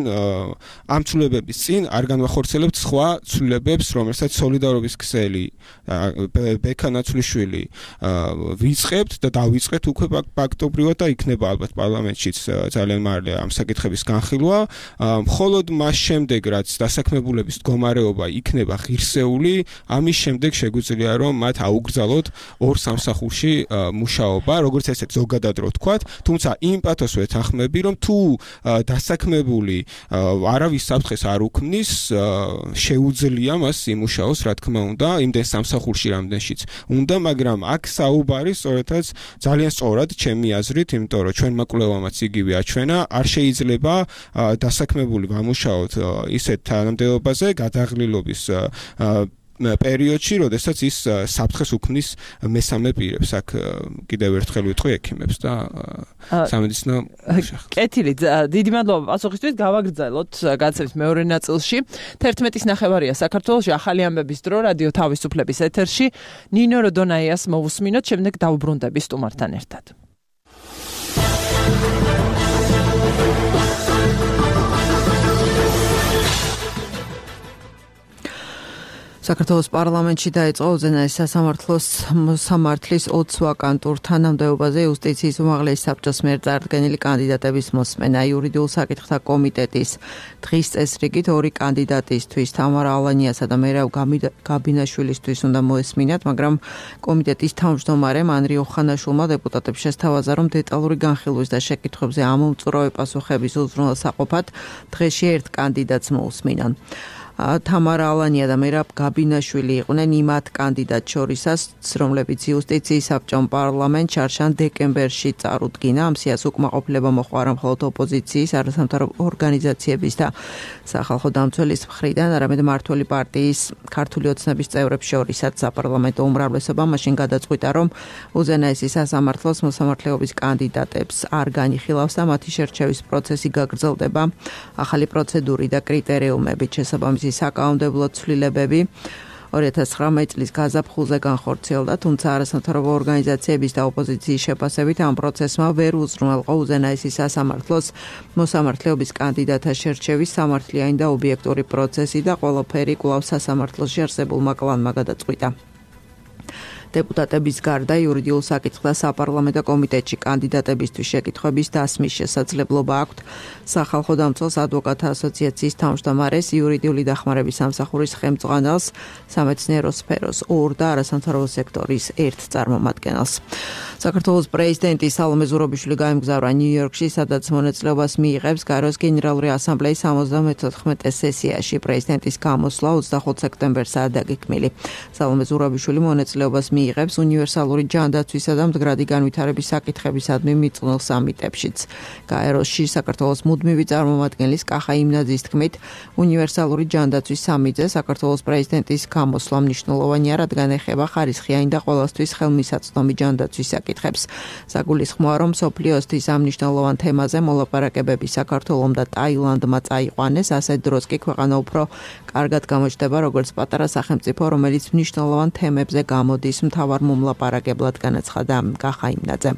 ამ ცვლილებების წინ არ განვახორციელებთ სხვა ცვლილებებს, რომელსაც სოლიდარობის ქსელი ბექა ნაცვლიშვილი ვიწყებთ და დავიწყეთ უკვე ფაქტობრივად და იქნება ალბათ პარლამენტშიც ძალიან მალე ამ საკითხების განხილვა. მხოლოდ მას შემდეგ რაც დასაქმებულების მდგომარეობა იქნება ღირსეული, ამის შემდეგ შეგვიძლია რომ მათ აუგრძალოთ ორ სამსახურში მუშაობა, როგორც ესეთ ზოგადად რო ვთქვათ, თუმცა იმ პათოს ვეთანხმები, რომ თუ დასაქმებული არავის საფრთხეს არ უქმნის, შეუძლია მას იმუშაოს, რა თქმა უნდა, იმდენ სამსახურში რამდენშიც უნდა, მაგრამ აქ საუბარი სწორედაც ძალიან სწორად ჩემი აზრით, იმიტომ რომ ჩვენმა კვლევამაც იგივე აჩვენა, არ შეიძლება დასაქმებული ვამუშაოთ ისეთ თანამდებობაზე გადაღლილობის პერიოდში, როდესაც ის საფრთხეს უქმნის მესამე პირებს. აქ კიდევ ერთხელ ვიტყვი ექიმებს და სამედიცინო მუშაკებს. კეთილი, დიდი მადლობა პასუხისთვის. გავაგრძელოთ განცემის მეორე ნაწილში. 11:09 საქართველოში ახალი ამბების დრო რადიო თავისუფლების ეთერში. ნინო როდონაიას მოვუსმინოთ, შემდეგ დავუბრუნდები სტუმართან ერთად. საქართველოს პარლამენტში დაიწყო უზენაესი სასამართლოს მოსამართლის 20 ვაკანტურ თანამდებობაზე იუსტიციის უმაღლესი საბჭოს მიერ წარდგენილი კანდიდატების მოსმენა. იურიდიულ საკითხთა კომიტეტის დღის წესრიგით ორი კანდიდატისთვის, თამარა ალანიასა და მერაბ გაბინაშვილისთვის უნდა მოესმინათ, მაგრამ კომიტეტის თავმჯდომარემ ანრი ოხანაშვილმა დეპუტატებს შესთავაზა, რომ დეტალური განხილვის და შეკითხვებზე ამომწურავი პასუხების უზრუნველსაყოფად დღეში ერთ კანდიდატს მოусმინან. თამარა ალანია და მერაბ გაბინაშვილი იყვნენ იმ 10 კანდიდატ შორისას, რომლებიც იუსტიციის საბჭომ პარლამენტ ჩარშან დეკემბერში წარუდგინა. ამ სიას უკმაყოფილება მოჰყვა არა მხოლოდ ოპოზიციის, არასამთავრობო ორგანიზაციების და სახალხო დამცველის მხრიდან, არამედ მმართველი პარტიის ქართული ოცნების წევრებს შორისაც. საპარლამენტო უმრავლესობა მაშინ გადაწყვიტა, რომ უზენაესი სასამართლოს მოსამართლეობის კანდიდატებს არ განიხილავს და მათი შერჩევის პროცესი გაგრძელდება. ახალი პროცედური და კრიტერიუმებით შესაბამისი საკანონმდებლო ცვლილებები 2019 წლის გაზაფხულზე განხორციელდა, თუმცა არასამთავრობო ორგანიზაციების და ოპოზიციის შეფასებით ამ პროცესმა ვერ უზრუნველყო უზენაესი სასამართლოს მოსამართლეობის კანდიდატთა შერჩევის სამართლიანი და ობიექტური პროცესი და ყველაფერი კვლავ სასამართლოში არსებულმა კლანმა გადაწყვიტა. დეპუტატების გარდა იურიდიულ საკითხთა საპარლამენტო კომიტეტში კანდიდატებისთვის შეკითხვების დასმის შესაძლებლობა აქვთ სახალხო დამცველს ადვოკატთა ასოციაციის თავმჯდომარეს, იურიდიული დახმარების სამსახურის ხელმძღვანელს, სამეცნიერო სფეროს 2 და არასამთავრობო სექტორის 1 წარმომადგენელს. საქართველოს პრეზიდენტი სალომე ზურაბიშვილი გაემგზავრა ნიუ-იორკში, სადაც მონაწილეობას მიიღებს გაეროს გენერალური ასამბლეის 74 სესიაში. პრეზიდენტის გამოსვლა 25 სექტემბერსაა დაგეგმილი. სალომე ზურაბიშვილი მონაწილეობას მიიღებს უნივერსალური ჯანდაცვისა და მდგრადი განვითარების საკითხებისადმი მიწვნილ სამიტებშიც. გაეროში საქართველოს მუდმივი წარმომადგენლის კახა იმნაძის თქმით, უნივერსალური ჯანდაცვის სამიტზე საქართველოს პრეზიდენტის გამოსვლა მნიშვნელოვანია, რადგან ეხება ხარისხიანი და ყველასთვის ხელმისაწვდომი ჯანდაცვის საკითხებს. საგულისხმოა, რომ მსოფლიოსთვის ამ მნიშვნელოვან თემაზე მოლაპარაკებები საქართველომ და ტაილანდმა წაიყვანეს, ასეთ დროს კი ქვეყანა უფრო კარგად გამოჩნდება როგორც პატარა სახელმწიფო, რომელიც მნიშვნელოვან თემებზე გამოდის მთავარ მომლაპარაკებლად, განაცხადა კახა იმნაძემ.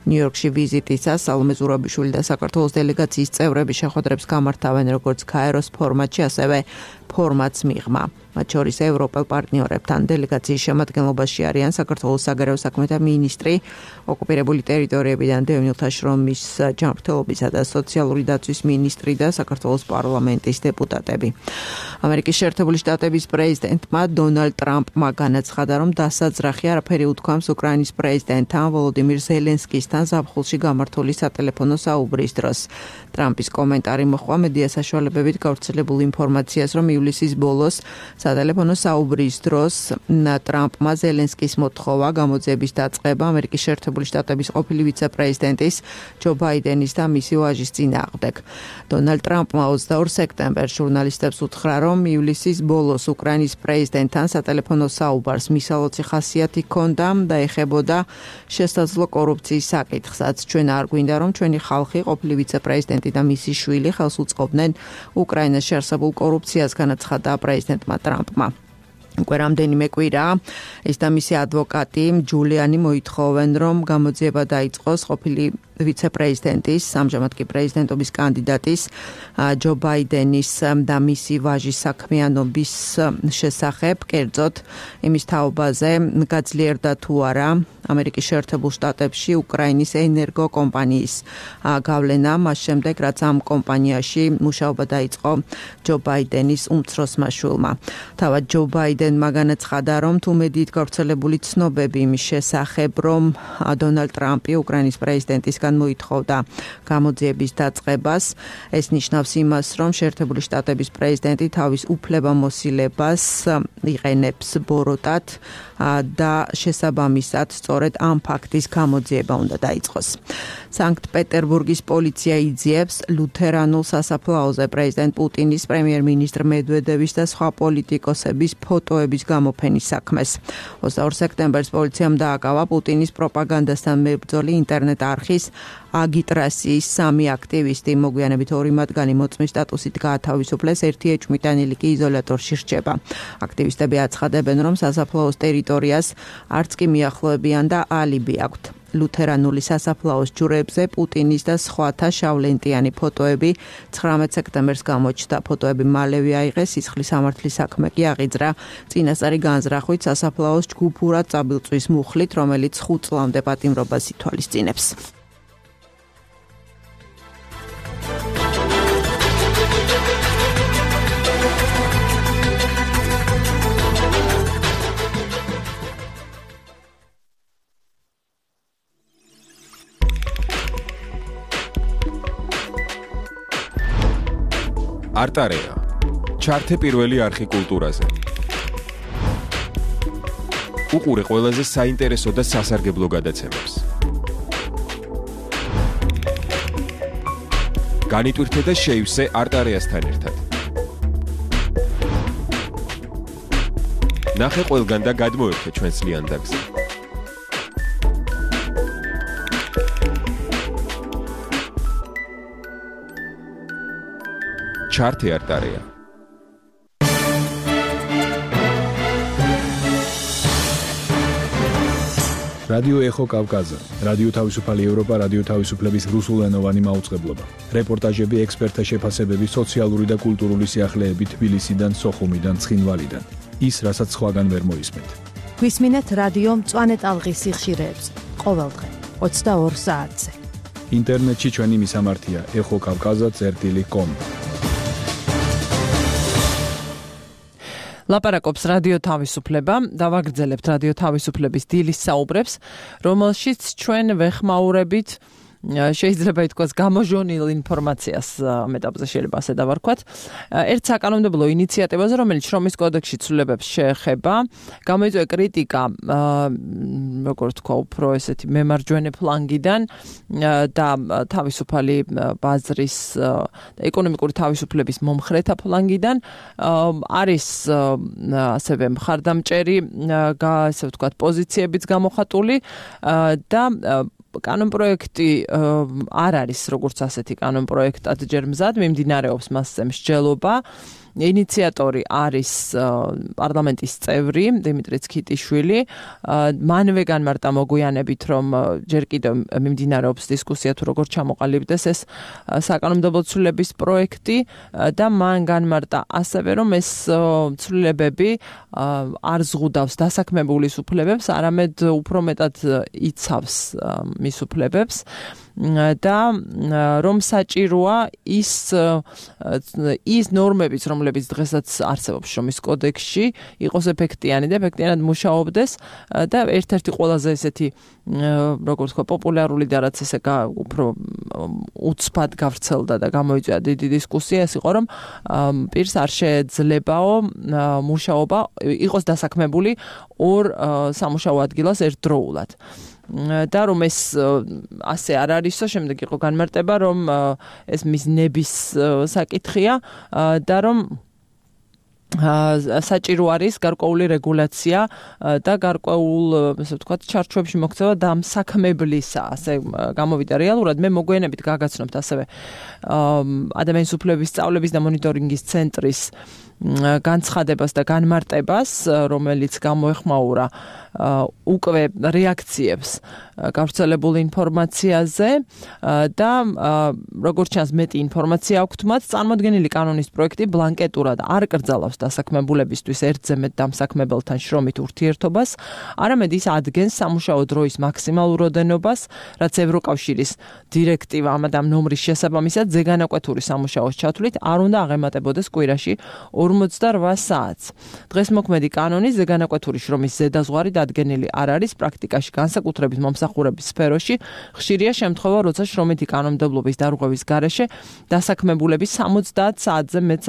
ნიუ-იორკში ვიზიტისას სალომე ზურაბიშვილი და საქართველოს დელეგაციის წევრები შეხვედრებს გამართავენ როგორც გაეროს ფორმატში, ასევე ფორმატს მიღმა. მათ შორის ევროპელ პარტნიორებთან დელეგაციის შემადგენლობაში არიან საქართველოს საგარეო საქმეთა მინისტრი, ოკუპირებული ტერიტორიებიდან დევნილთა შრომის ჯანმრთელობისა და სოციალური დაცვის მინისტრი და საქართველოს პარლამენტის დეპუტატები. ამერიკის შეერთებული შტატების პრეზიდენტმა დონალდ ტრამპმა განაცხადა, რომ დასაძრახი არაფერი უთქვამს უკრაინის პრეზიდენტთან ვოლოდიმირ ზელენსკისთან ზაფხულში გამართული სატელეფონო საუბრის დროს. ტრამპის კომენტარი მოჰყვა მედია საშუალებებით გავრცელებულ ინფორმაციას, რომ ივლისის ბოლოს სატელეფონო საუბრის დროს ტრამპმა ზელენსკის მოთხოვა გამოძიების დაწყება ამერიკის შეერთებული შტატების ყოფილი ვიცე-პრეზიდენტის ჯო ბაიდენის და მისი ვაჟის წინააღმდეგ. დონალდ ტრამპმა 22 სექტემბერს ჟურნალისტებს უთხრა, რომ ივლისის ბოლოს უკრაინის პრეზიდენტთან სატელეფონო საუბარს მისალოცი ხასიათი ჰქონდა და ეხებოდა შესაძლო კორუფციის საკითხსაც. ჩვენ არ გვინდა, რომ ჩვენი ხალხი ყოფილი ვიცე-პრეზიდენტი და მისი შვილი ხელს უწყობდნენ უკრაინაში არსებულ კორუფციას, განაცხადა პრეზიდენტმა ტრამპმა. უკვე რამდენიმე კვირა ის და მისი ადვოკატი ჯულიანი მოითხოვენ, რომ გამოძიება დაიწყოს ყოფილი ვიცე-პრეზიდენტის, ამჟამად კი პრეზიდენტობის კანდიდატის ჯო ბაიდენის და მისი ვაჟის საქმიანობის შესახებ, კერძოდ იმის თაობაზე გაძლიერდა თუ არა ამერიკის შეერთებულ შტატებში უკრაინის ენერგო კომპანიის გავლენა, მას შემდეგ რაც ამ კომპანიაში მუშაობა დაიწყო ჯო ბაიდენის უმცროსმა შვილმა. თავად ჯო ბაიდენმა განაცხადა, რომ თუ მედიით გავრცელებული ცნობები იმის შესახებ, რომ დონალდ ტრამპი უკრაინის პრეზიდენტისგან მოითხოვდა გამოძიების დაწყებას, ეს ნიშნავს იმას, რომ შეერთებული შტატების პრეზიდენტი თავის უფლებამოსილებას იყენებს ბოროტად და შესაბამისად სწორედ ამ ფაქტის გამოძიება უნდა დაიწყოს. სანქტ-პეტერბურგის პოლიცია იძიებს ლუთერანულ სასაფლაოზე პრეზიდენტ პუტინის, პრემიერ-მინისტრ მედვედევის და სხვა პოლიტიკოსების ფოტოების გამოფენის საქმეს. 22 სექტემბერს პოლიციამ დააკავა პუტინის პროპაგანდასთან მებრძოლი ინტერნეტ არხის აგიტრასიის 3 აქტივისტი, მოგვიანებით 2 მათგანი მოწმის სტატუსით გაათავისუფლეს, ერთი ეჭვმიტანილი კი იზოლატორში რჩება. აქტივისტები აცხადებენ, რომ სასაფლაოს ტერიტორიას არც კი მიახლოებიან და ალიბი აქვთ. ლუთერანული სასაფლაოს ჯვრებზე პუტინის და სხვათა შავლენტიანი ფოტოები 19 სექტემბერს გამოჩნდა. ფოტოები მალევე აიღეს, სისხლის სამართლის საქმე კი აღიძრა წინასწარი განზრახვით სასაფლაოს ჯგუფურად წაბილწვის მუხლით, რომელიც 5 წლამდე პატიმრობას ითვალისწინებს. არტარეა. ჩართე პირველი არხი კულტურაზე. უყურე ყველაზე საინტერესო და სასარგებლო გადაცემებს. განიტვირთე და შეივსე არტარეასთან ერთად. ნახე ყველგან და გადმოერთე ჩვენს ლიანდაგზე. ჩართე არტარეა. რადიო ეხო კავკაზა, რადიო თავისუფალი ევროპა, რადიო თავისუფლების რუსულენოვანი მაუწყებლობა. რეპორტაჟები, ექსპერტთა შეფასებები, სოციალური და კულტურული სიახლეები თბილისიდან, სოხუმიდან, ცხინვალიდან. ის, რასაც სხვაგან ვერ მოისმენთ. გვისმინეთ რადიო მწვანე ტალღის სიხშირეებს ყოველდღე 22 საათზე. ინტერნეტში ჩვენი მისამართია ეხოკავკაზა.com. ლაპარაკობს რადიო თავისუფლება, დავაგრძელებთ რადიო თავისუფლების დილის საუბრებს, რომელშიც ჩვენ ვეხმაურებით შეიძლება ითქვას გამოჟონილ ინფორმაციას მეტაბზე შეიძლება ასე დავარქვათ. ერთ საკანონმდებლო ინიციატივაზე, რომელიც შრომის კოდექსში ცვლილებებს შეეხება, გამოიწვია კრიტიკა, როგორც თქვა, უფრო ესეთი მემარჯვენე ფლანგიდან და თავისუფალი ბაზრის და ეკონომიკური თავისუფლების მომხრეთა ფლანგიდან. არის ასევე მხარდამჭერი, ასე ვთქვათ, პოზიციებიც გამოხატული და კანონპროექტი არ არის როგორც ასეთი კანონპროექტად ჯერ მზად, მიმდინარეობს მასზე მსჯელობა. ინიციატორი არის პარლამენტის წევრი დიმიტრი ცქიტიშვილი. მანვე განმარტა მოგვიანებით, რომ ჯერ კიდევ მიმდინარეობს დისკუსია თუ როგორ ჩამოყალიბდეს ეს საკანონმდებლო ცვლილების პროექტი და მან განმარტა ასევე, რომ ეს ცვლილებები არ ზღუდავს დასაქმებულის უფლებებს, არამედ უფრო მეტად იცავს მის უფლებებს. და რომ საჭიროა ის ნორმებიც, რომლებიც დღესაც არსებობს შრომის კოდექსში, იყოს ეფექტიანი და ეფექტიანად მუშაობდეს და ერთ-ერთი ყველაზე ესეთი როგორც თქვა პოპულარული და რაც ესე უფრო უცბად გავრცელდა და გამოიწვია დიდი დისკუსია ეს იყო რომ პირს არ შეეძლებაო მუშაობა იყოს დასაქმებული ორ სამუშაო ადგილას ერთდროულად და რომ ეს ასე არ არისო შემდეგ იყო განმარტება რომ ეს მის ნების საკითხია და რომ საჭირო არის გარკვეული რეგულაცია და გარკვეულ ასე ვთქვათ ჩარჩოებში მოქცევა დამსაქმებლისა ასე გამოვიდა რეალურად მე მოგვიანებით გაგაცნობთ ასევე ადამიანის უფლებების სწავლების და მონიტორინგის ცენტრის განცხადებას და განმარტებას რომელიც გამოეხმაურა უკვე რეაქციებს გავრცელებულ ინფორმაციაზე და როგორც ჩანს მეტი ინფორმაცია აქვთ მათ წარმოდგენილი კანონის პროექტი ბლანკეტურად არ კრძალავს დასაქმებულებისთვის ერთზე მეტ დამსაქმებელთან შრომით ურთიერთობას არამედ ის ადგენს სამუშაო დროის მაქსიმალურ ოდენობას რაც ევროკავშირის დირექტივა ამ ნომრის შესაბამისად ზეგანაკვეთური სამუშაოს ჩათვლით არ უნდა აღემატებოდეს კვირაში 48 საათს. დღეს მოქმედი კანონის ზეგანაკვეთური შრომის ზედაზღვარი დადგენილი არ არის პრაქტიკაში განსაკუთრებით მომსახურების სფეროში ხშირია შემთხვევა როცა შრომითი კანონმდებლობის დარღვევის გარეშე დასაქმებულები 70 საათზე მეტ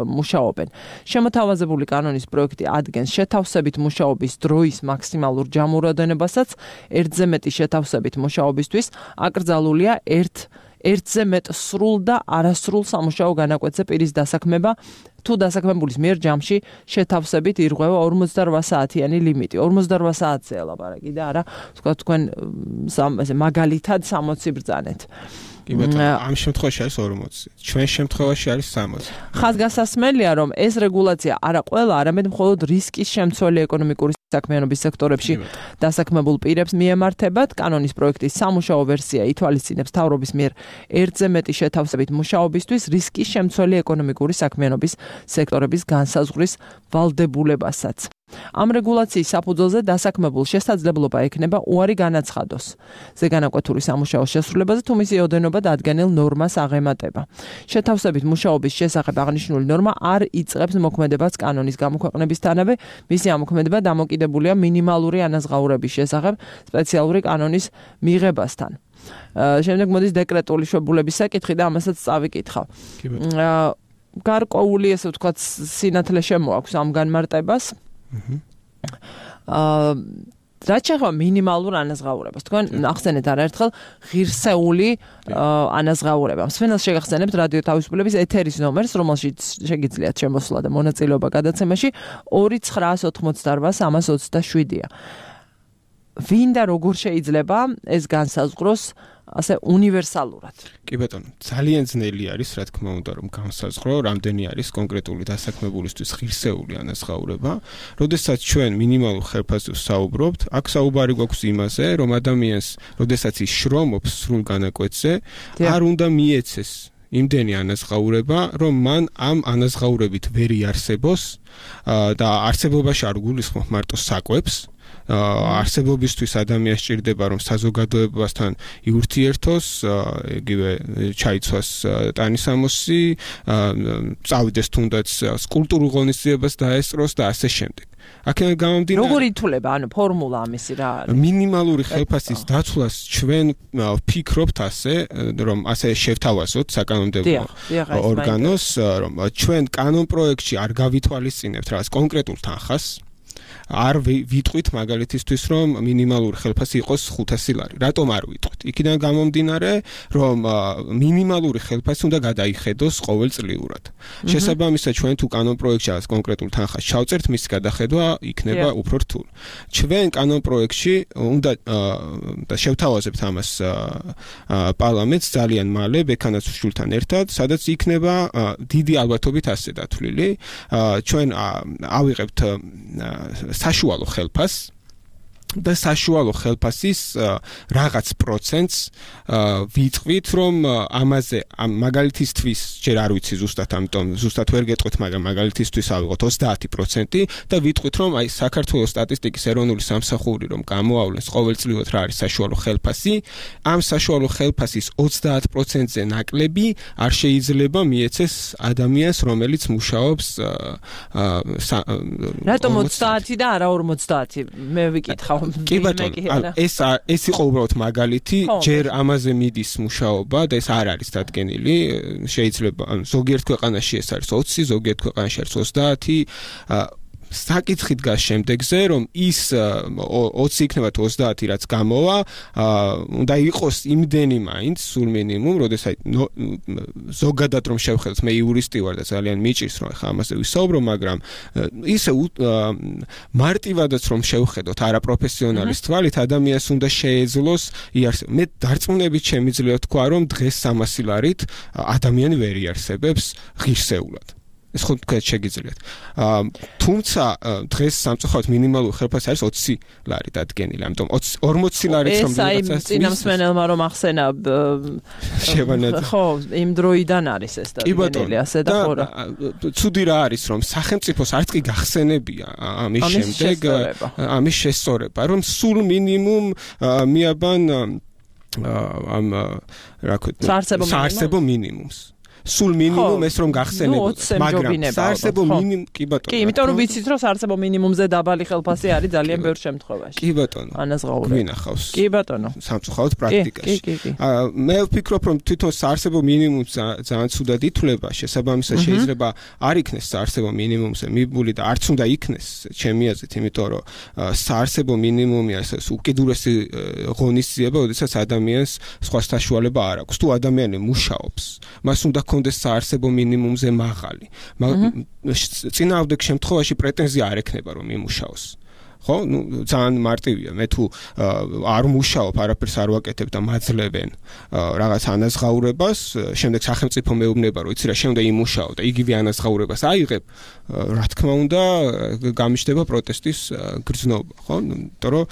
მუშაობენ. შემოთავაზებული კანონის პროექტი ადგენს შეთავსებით მუშაობის დროის მაქსიმალურ ჯამურ ოდენებასაც ერთზე მეტი შეთავსებით მუშაობისთვის აკრძალულია ერთზე მეტ სრულ და არასრულ სამუშაო განაკვეთზე პირის დასაქმება თუ დასაქმებულის მიერ ჯამში შეთავსებით ირღვევა 48 საათიანი ლიმიტი 48 საათზეა ლაპარაკი და არა თქვა თქვენ მაგალითად 60 ბრძანეთ ამ შემთხვევაში არის 40 ჩვენ შემთხვევაში არის 60 ხაზგასასმელია რომ ეს რეგულაცია არა ყველა არამედ მხოლოდ რისკის შემცველი ეკონომიკური საქმიანობის სექტორებში დასაქმებულ პირებს მიემართებათ კანონის პროექტის სამუშაო ვერსია ითვალისწინებს მთავრობის მიერ ერთზე მეტი შეთავსებით მუშაობისთვის რისკის შემცველი ეკონომიკური საქმიანობის სექტორების განსაზღვრის ვალდებულებასაც ამ რეგულაციის საფუძველზე დასაქმებულ შესაძლებლობა ექნება უარი განაცხადოს ზეგანაკვეთური სამუშაოს შესრულებაზე თუ მისი ოდენობა დადგენილ ნორმას აღემატება. შეთავსებით მუშაობის შესახებ აღნიშნული ნორმა არ იწყებს მოქმედებას კანონის გამოქვეყნებისთანავე, მისი ამოქმედება დამოკიდებულია მინიმალური ანაზღაურების შესახებ სპეციალური კანონის მიღებასთან. შემდეგ მოდის დეკრეტული შვებულების საკითხი და ამასაც წავიკითხავ. გარკვეული ესე ვთქვათ სინათლე შემოაქვს ამ განმარტებას. რაც შეეხება მინიმალურ ანაზღაურებას. თქვენ ახსენეთ არაერთხელ ღირსეული ანაზღაურება. მსმენელს შეგახსენებთ რადიო თავისუფლების ეთერის ნომერს, რომელშიც შეგიძლიათ შემოსვლა და მონაწილეობა გადაცემაში 2988-327-ია. ვინ და როგორ შეიძლება ეს განსაზღვროს ასე უნივერსალურად. კი ბატონო, ძალიან ძნელი არის, რა თქმა უნდა, რომ განსაზღვრო, რამდენი არის კონკრეტული დასაქმებულისთვის ღირსეული ანაზღაურება. როდესაც ჩვენ მინიმალურ ხელფასზე ვსაუბრობთ, აქ საუბარი გვაქვს იმაზე, რომ ადამიანს, როდესაც ის შრომობს სრულ განაკვეთზე, არ უნდა მიეცეს იმდენი ანაზღაურება, რომ მან ამ ანაზღაურებით ვერ იარსებოს და არსებობაში არ გულისხმობ მარტო საკვებს. არსებობისთვის ადამიანს სჭირდება რომ საზოგადოებასთან იურთიერთოს, იგივე ჩაიცვას ტანისამოსი, წავიდეს თუნდაც კულტურულ ღონისძიებას დაესწროს და ასე შემდეგ. აქედან გამომდინარე როგორ ითვლება ანუ ფორმულა ამისი რა არის? მინიმალური ხელფასის დაცვას ჩვენ ვფიქრობთ ასე, რომ ასე შევთავაზოთ საკანონმდებლო ორგანოს, რომ ჩვენ კანონ პროექტში არ გავითვალისწინებთ რაღაც კონკრეტულ თანხას. არ ვიტყვით მაგალითისთვის რომ მინიმალური ხელფასი იყოს 500 ლარი. რატომ არ ვიტყვით? იქიდან გამომდინარე, რომ მინიმალური ხელფასი უნდა გადაიხედოს ყოველწლიურად. შესაბამისად, ჩვენ თუ კანონ პროექტში არის კონკრეტულ თანხას ჩავწერთ, მის გადახედვა იქნება უფრო რთული. ჩვენ კანონ პროექტში უნდა და შევთავაზებთ ამას პარლამენტს ძალიან მალე, ბექანაცუშულთან ერთად, სადაც იქნება დიდი ალბათობით ასე დათვლილი. ჩვენ ავიღებთ საშუალო ხელფასს და საშუალო ხელფასის რაღაც პროცენტს ვიტყვით, რომ ამაზე მაგალითისთვის ჯერ არ ვიცი ზუსტად, ამიტომ ზუსტად ვერ გეტყვით, მაგრამ მაგალითისთვის ავიღოთ 30% და ვიტყვით, რომ აი საქართველოს სტატისტიკის ეროვნული სამსახური რომ გამოავლენს ყოველწლიურად რა არის საშუალო ხელფასი, ამ საშუალო ხელფასის 30%-ზე ნაკლები არ შეიძლება მიეცეს ადამიანს, რომელიც მუშაობს რატომ 30 და არა 50? მე ვიკითხავ. კი ბატონო, ეს იყო უბრალოდ მაგალითი, ჯერ ამაზე მიდის მუშაობა და ეს არ არის დადგენილი, შეიძლება ზოგიერთ ქვეყანაში ეს არის 20, ზოგიერთ ქვეყანაში არის 30, საკითხი დგას შემდეგზე, რომ ის 20 იქნება 30, რაც გამოვა, უნდა იყოს იმდენი მაინც სულ მინიმუმ, როდესაც ზოგადად რომ შევხედოთ, მე იურისტი ვარ და ძალიან მიჭირს რომ ხა ამაზე ვისაუბრო, მაგრამ ისე მარტივადაც რომ შევხედოთ არაპროფესიონალის თვალით, ადამიანს უნდა შეეძლოს იარსება. მე დარწმუნებით შემიძლია თქვა, რომ დღეს 300 ლარით ადამიანი ვერ იარსებებს ღირსეულად. ეს ხო თქვენ შეგიძლიათ. თუმცა დღეს სამწუხაროდ მინიმალური ხელფასი არის 20 ლარი დადგენილი. ამიტომ 40 ლარიც რომ ვიღაცას ეს აი წინამსმენელმა რომ ახსენა ხო, იმ დროიდან არის ეს დადგენილი, ასე და ხო რა. ცუდი რა არის, რომ სახელმწიფოს არც კი გახსენებია ამის შემდეგ ამის შესწორება, რომ სულ მინიმუმ მიაბან ამ რა ქვია საარსებო მინიმუმს. სულ მინიმუმ ეს რომ გახსენებოდა, მაგრამ საარსებო მინიმუმ კი ბატონო. კი, იმიტომ რომ ვიცით რომ საარსებო მინიმუმზე დაბალი ხელფასი არის ძალიან ბევრ შემთხვევაში. კი ბატონო. ანაზღაურება. გვინახავს. კი ბატონო. სამწუხაროდ პრაქტიკაში. მე ვფიქრობ რომ თვითონ საარსებო მინიმუმს ძალიან ცუდად ითვლება, შესაბამისად შეიძლება არ იქნეს საარსებო მინიმუმზე მიბული და არც უნდა იქნეს, ჩემი აზრით, იმიტომ რომ საარსებო მინიმუმი არის უკიდურესი ღონისძიება, როდესაც ადამიანს სხვა საშუალება არ აქვს. თუ ადამიანი მუშაობს, მას უნდა კონდეს საარსებო მინიმუმზე მაღალი. წინააღმდეგ შემთხვევაში პრეტენზია არ ექნება რომ იმუშაოს. ხო? ძალიან მარტივია. მე თუ არ მუშაობ, არაფერს არ ვაკეთებ და მაძლევენ რაღაც ანაზღაურებას, შემდეგ სახელმწიფო მეუბნება, რომ იცი რა, შენ უნდა იმუშაო და იგივე ანაზღაურებას აიღებ, რა თქმა უნდა, გამიჩნდება პროტესტის გრძნობა, ხო? იმიტომ რომ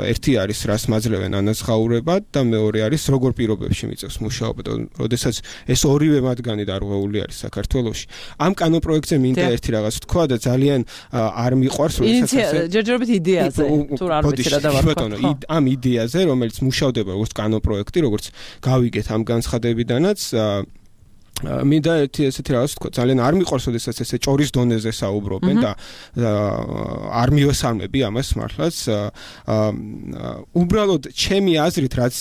ერთი არის რას მაძლევენ ანაზღაურებად და მეორე არის როგორ პირობებში მიწევს მუშაობა და როდესაც ეს ორივე მათგანი დარღვეული არის საქართველოში. ამ კანონპროექტზე მინდა ერთი რაღაც თქვა და ძალიან არ მიყვარს, როდესაც იდეაზე თუ არ ვიცი რა დავარქვა. ამ იდეაზე, რომელიც მუშავდება როგორც კანონპროექტი, როგორც გავიგეთ ამ განცხადებიდანაც, მინდა ესეთი რაღაც თქვა, ძალიან არ მიყვარს, როდესაც ესე ჭორის დონეზე საუბრობენ და არ მივესალმები ამას მართლაც. უბრალოდ ჩემი აზრით, რაც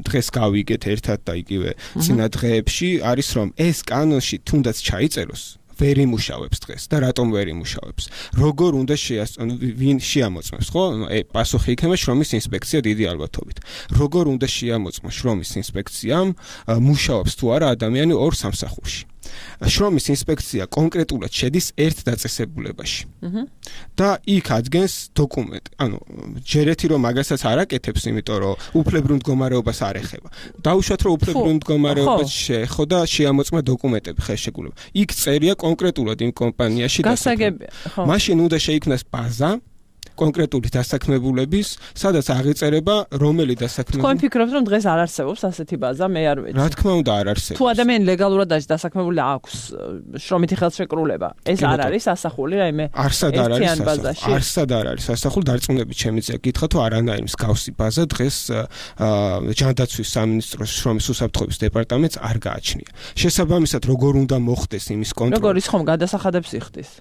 დღეს გავიგეთ ერთად და იგივე წინა დღეებში, არის რომ ეს კანონში თუნდაც ჩაიწეროს ვერ იმუშავებს დღეს და რატომ ვერ იმუშავებს? როგორ უნდა ვინ შეამოწმებს, ხო? პასუხი იქნება შრომის ინსპექცია დიდი ალბათობით. როგორ უნდა შეამოწმოს შრომის ინსპექციამ მუშაობს თუ არა ადამიანი ორ სამსახურში? შრომის ინსპექცია კონკრეტულად შედის ერთ დაწესებულებაში. და იქ ადგენს დოკუმენტი. ანუ ჯერეთი რომ მაგასაც არ აკეთებს, იმიტომ რომ უფლებრივ მდგომარეობას არ ეხება. დაუშვათ რომ უფლებრივ მდგომარეობას შეეხო და შეამოწმა დოკუმენტები ხელშეკრულება. იქ წერია კონკრეტულად იმ კომპანიაში გასაგებია. მაშინ უნდა შეიქმნას ბაზა კონკრეტული დასაქმებულების, სადაც აღიწერება რომელი დასაქმებული. თქვენ ფიქრობთ რომ დღეს არ არსებობს ასეთი ბაზა? მე არ ვიცი. რა თქმა უნდა არ არსებობს. თუ ადამიანი ლეგალურად არის დასაქმებული, აქვს შრომითი ხელშეკრულება, ეს არ არის ასახული რაიმე ერთიან ბაზაში. არსად არ არის ასახული, დარწმუნებით შემიძლია გითხრა თუ არანაირი მსგავსი ბაზა დღეს ჯანდაცვის სამინისტროს შრომის უსაფრთხოების დეპარტამენტს არ გააჩნია. შესაბამისად, როგორ უნდა მოხდეს იმის კონტროლი? როგორ ის ხომ გადასახადებს იხდის?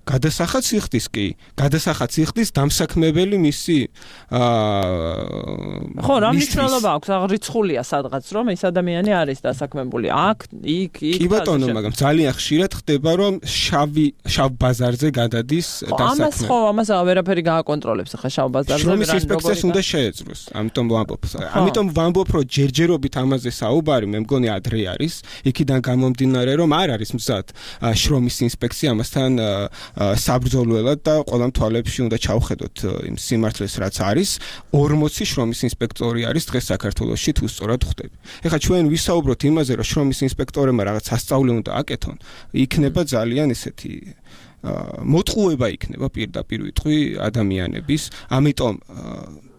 გადასახადს იხდის კი, გადასახადს იხდის დამსაქმებელი მისი ხო, რა მნიშვნელობა აქვს? აღრიცხულია სადღაც რომ ეს ადამიანი არის დასაქმებული. აქ, იქ. კი ბატონო, მაგრამ ძალიან ხშირად ხდება რომ შავ ბაზარზე გადადის დასაქმება. ამას ვერაფერი გააკონტროლებს ახლა შავ ბაზარზე. შრომის ინსპექციას უნდა შეეძლოს. ამიტომ ვამბობ, რომ ჯერჯერობით ამაზე საუბარი, მე მგონი ადრე არის, იქიდან გამომდინარე რომ არ არის მზად შრომის ინსპექცია ამასთან საბრძოლველად და ყველა თვალებში უნდა ჩავხედოთ იმ სიმართლეს, რაც არის 40 შრომის ინსპექტორი არის დღეს საქართველოში თუ სწორად ხვდები. ეხლა ჩვენ ვისაუბროთ იმაზე, რომ შრომის ინსპექტორებმა რაღაც სასწაული უნდა აკეთონ, იქნება ძალიან ესეთი მოტყუება იქნება პირდაპირ ვიტყვი ადამიანების, ამიტომ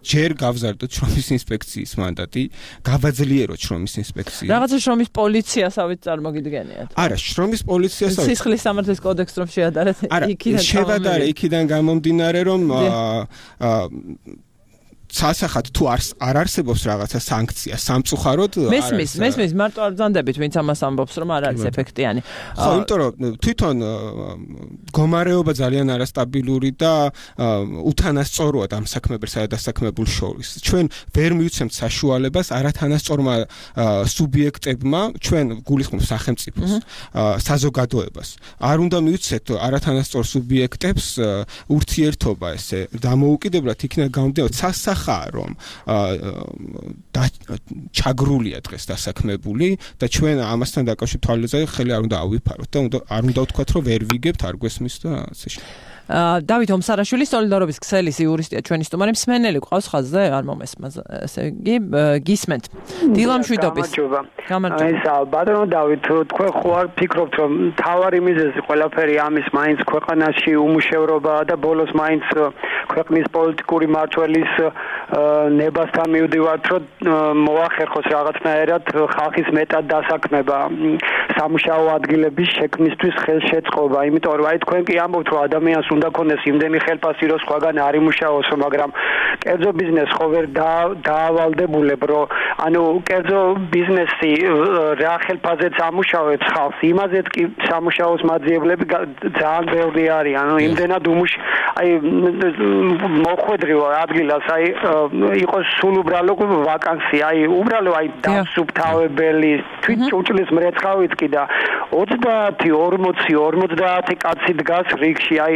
ჯერ გავზარდოთ შრომის ინსპექციის მანდატი, გავაძლიეროთ შრომის ინსპექცია. რაღაცა შრომის პოლიციასაც წარმოგიდგენიათ. არა, შრომის პოლიციასაც სისხლის სამართლის კოდექსს რომ შეადარეთ, იქიდან შევადარე, იქიდან გამომდინარე, რომ სასახად თუ არ არსებობს რაღაცა სანქცია სამწუხაროდ მესმის მარტო არ ბრძანდებით ვინც ამას ამბობს რომ არ არის ეფექტიანი ხო იმიტომ რომ თვითონ მდგომარეობა ძალიან არასტაბილური და უთანასწოროა ამ საქმებსა და დასაქმებულ შორის ჩვენ ვერ მივცემთ საშუალებას არათანასწორმა სუბიექტებმა ჩვენ გულისხმობ სახელმწიფოს საზოგადოებას არ უნდა მივცეთ არათანასწორ სუბიექტებს ურთიერთობა ესე დამოუკიდებლად იქნება გამოდიოთ რომ ჩაგრულია დღეს დასაქმებული და ჩვენ ამასთან დაკავშირებით თვალეზე ხელი არ უნდა ავიფაროთ და არ უნდა ვთქვათ რომ ვერ ვიგებთ არ გვესმის და ასე შემდეგ. დავით ომსარაშვილი სოლიდარობის ქსელის იურისტია ჩვენი სტუმარი მსმენელი ყავს ხაზზე არ მომესმა ესე იგი გისმენთ დილა მშვიდობის გამარჯობა ეს ბატონო დავით თქვენ ხო არ ფიქრობთ რომ თავარი მიზეზი ყველაფერი ამის მაინც ქვეყანაში უმუშევრობაა და ბოლოს მაინც ქვეყნის პოლიტიკური მმართველის ნებასთან მივდივართ რომ მოახერხოს რაღაცნაირად ხალხის მეტად დასაქმება სამუშაო ადგილების შექმნისთვის ხელშეწყობა იმიტომ რომ აი თქვენ კი ამბობთ რომ ადამიანს უნდა ქონდეს იმდენი ხელფასი რომ სხვაგან არ იმუშაოს მაგრამ კერძო ბიზნესს ხო ვერ დაავალდებულებ რომ ანუ კერძო ბიზნესი რა ხელფასზეც ამუშავებს ხალხს იმაზეც კი სამუშაოს მაძიებლები ძალიან ბევრი არის ანუ იმდენად აი მოხვედრივ ადგილას აი იყოს სულ უბრალო ვაკანსია აი უბრალო აი დასუფთავებელი თვით ჭურჭლის მრეცხავით კი და 30-40-50 კაცი დგას რიგში აი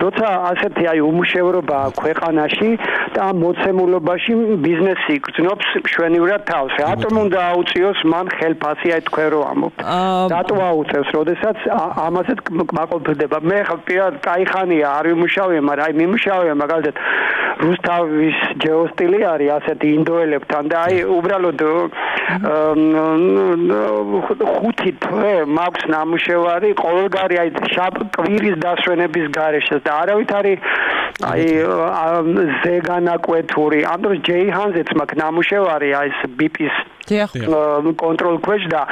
როცა ასეთი აი უმუშევრობა ქვეყანაში და მოცემულობაში ბიზნესი გრძნობს მშვენივრად თავს რატომ უნდა აუწიოს მან ხელფასი აი თქვენ რო ამბობთ რატო აუწევს როდესაც ამასაც მაყოფილდება მე ხა კაიხანია არ ვიმუშავე მაგრამ აი მიმუშავე მაგალითად რუსთავის ჯეოსტილი არის ასეთი ინდოელებთან და აი უბრალოდ 5 თვე მაქვს ნამუშევარი ყოველგვარი აი კვირის დასვენების გარეშე და არავით არის აი ზეგანაკვეთური ამ დროს ჯეიჰანზეც მაქვს ნამუშევარი აი ეს ბიპის კონტროლ ქვეშ და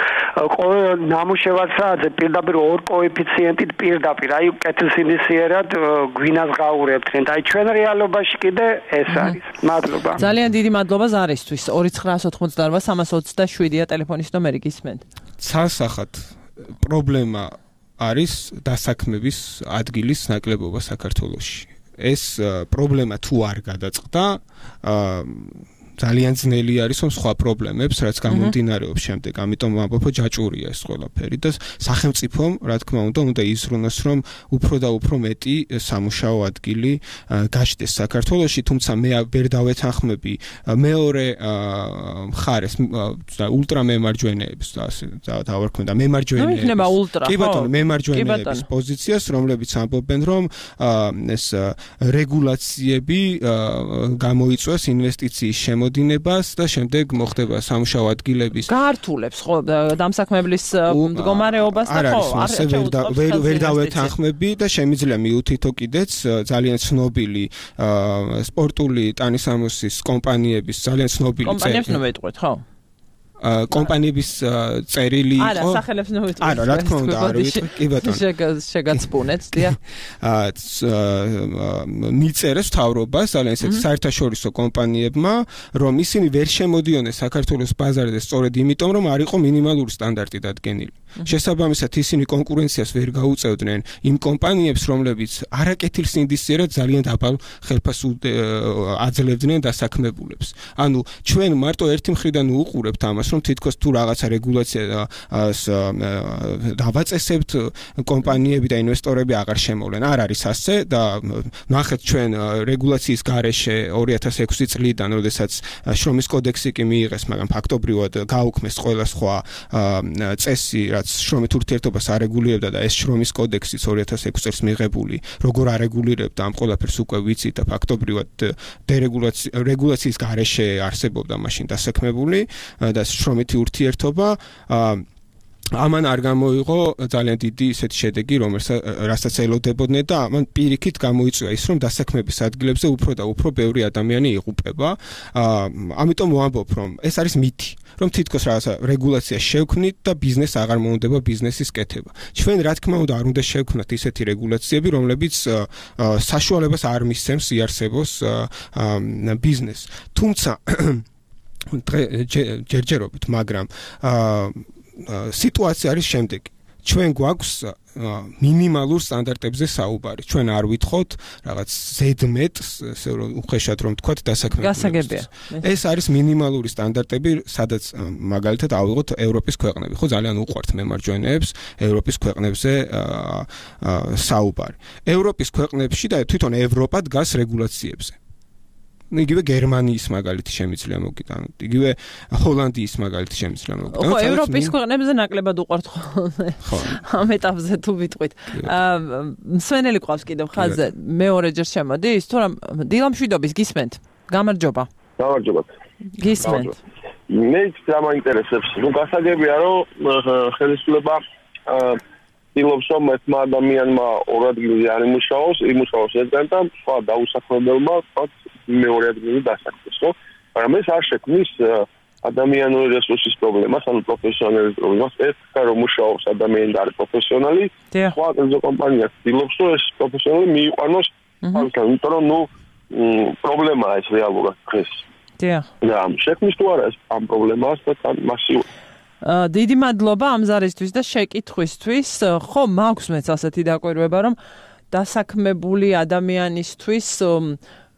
ყოველ ნამუშევარსაც პირდაპირ ორ კოეფიციენტით პირდაპირ აი კეთილსინდისიერად გვინას გაურებდნენ და აი ჩვენ რეალობაში კიდე ეს არის მადლობა ძალიან დიდი მადლობა ზარისთვის 2988-327-ია ტელეფონის ნომერი გისმენთ სასახად პრობლემა არის დასაქმების ადგილის ნაკლებობა საქართველოში ეს პრობლემა თუ არ გადაწყდა ძალიან ძნელი არის რომ სხვა პრობლემებს რაც გამომდინარეობს შემდეგ ამიტომ ამბობ ჯაჭვურია ეს ყველაფერი და სახელმწიფომ რა თქმა უნდა იზრუნოს რომ უფრო და უფრო მეტი სამუშაო ადგილი გაჩნდეს საქართველოში თუმცა მე ვერ დავეთანხმები მეორე მხარეს ულტრამემარჯვენეებს და ასე დავარქმევ და მემარჯვენეებს კი ბატონო მემარჯვენეების პოზიციას რომლებიც ამბობენ რომ ეს რეგულაციები გამოიწვევს ინვესტიციის დინებას და შემდეგ მოხდება სამუშაო ადგილების გაართულებს ხო დამსაქმებლის მდგომარეობას და ხო ვერ დავეთანხმები და შემიძლია მიუთითო კიდეც ძალიან ცნობილი სპორტული ტანისამოსის კომპანიების ძალიან ცნობილი კომპანიებს ნომეტყვით ხო კომპანიების წერილი იყო არა სახელებს ნოვიტყვით არა რა თქმა უნდა არ ვიტყვი კი ბატონო შეგაცბუნეთ დიახ მიწერეს მთავრობას ძალიან ისეთ საერთაშორისო კომპანიებმა რომ ისინი ვერ შემოდიოდნენ საქართველოს ბაზარზე სწორედ იმიტომ რომ არ იყო მინიმალური სტანდარტი დადგენილი შესაბამისად ისინი კონკურენციას ვერ გაუწევდნენ იმ კომპანიებს რომლებიც არაკეთილსინდისიერად ძალიან დაბალ ხელფასს აძლევდნენ დასაქმებულებს ანუ ჩვენ მარტო ერთი მხრიდან უყურებთ ამას რომ თითქოს თუ რაღაცა რეგულაცია დავაწესებთ კომპანიები და ინვესტორები აღარ შემოვლენ არ არის ასე და ნახეთ ჩვენ რეგულაციის გარეშე 2006 წლიდან როდესაც შრომის კოდექსი კი მიიღეს მაგრამ ფაქტობრივად გაუქმეს ყველა სხვა წესი რაც რაც შრომით ურთიერთობას არეგულირებდა და ეს შრომის კოდექსიც 2006 წელს მიღებული, როგორ არეგულირებდა ამ ყველაფერს უკვე ვიცით და ფაქტობრივად რეგულაციის გარეშე არსებობდა მაშინ დასაქმებული და შრომითი ურთიერთობა ამან არ გამოიღო ძალიან დიდი ისეთი შედეგი, რასაც ელოდებოდნენ და ამან პირიქით გამოიწვია ის, რომ დასაქმების ადგილებზე უფრო და უფრო ბევრი ადამიანი იღუპება. ამიტომ ვამბობ, რომ ეს არის მითი, რომ თითქოს რაღაცა რეგულაცია შევქმნით და ბიზნეს აღარ მოუნდება ბიზნესის კეთება. ჩვენ რა თქმა უნდა არ უნდა შევქმნათ ისეთი რეგულაციები, რომლებიც საშუალებას არ მისცემს იარსებოს ბიზნესს. თუმცა ჯერჯერობით, მაგრამ სიტუაცია არის შემდეგი. ჩვენ გვაქვს მინიმალურ სტანდარტებზე საუბარი. ჩვენ არ ვითხოვთ რაღაც ზედმეტს, ესე რომ უხეშად რომ თქვათ, დასაქმებულებს. ეს არის მინიმალური სტანდარტები, სადაც მაგალითად ავიღოთ ევროპის ქვეყნები. ხო, ძალიან უყვართ მემარჯვენეებს ევროპის ქვეყნებზე საუბარი. ევროპის ქვეყნებში და თვითონ ევროპა დგას რეგულაციებზე. იგივე გერმანიის მაგალითი შემიძლია მოგიტანოთ. იგივე ჰოლანდიის მაგალითი შემიძლია მოგიტანოთ. ხო, ევროპის ქვეყნებზე ნაკლებად უყვართ ხოლმე. ხო. ამ ეტაპზე თუ ვიტყვით. მსვენელი ყავს კიდევ ხაზზე. მეორეჯერ შემოდის, თუ რა დილამშვიდობის გისმენთ. გამარჯობა. გამარჯობათ. გისმენთ. მეც დამაინტერესებს. ნუ გასაგებია, რომ ხელისუფლება ცდილობს, რომ ერთმა ადამიანმა ორ ადგილზე არ იმუშაოს ერთგან და სხვა დაუსახლებელმა მეორე ადგილზე დასაქმდეს, ხო? მაგრამ ეს არ შექმნის ადამიანური რესურსის პრობლემას, ანუ პროფესიონალის პრობლემას. ერთგან რომ მუშაობს ადამიანი და არის პროფესიონალი, სხვა კერძო კომპანია ცდილობს, რომ ეს პროფესიონალი მიიყვანოს ხალხთან, იმიტომ რომ ნუ პრობლემაა ეს რეალურად დღეს. დიახ. და შექმნის თუ არა ეს ამ პრობლემას და თან მასიურად დიდი მადლობა ამ ზარისთვის და შეკითხვისთვის. ხო, მაქვს მეც ასეთი დაკვირვება, რომ დასაქმებული ადამიანისთვის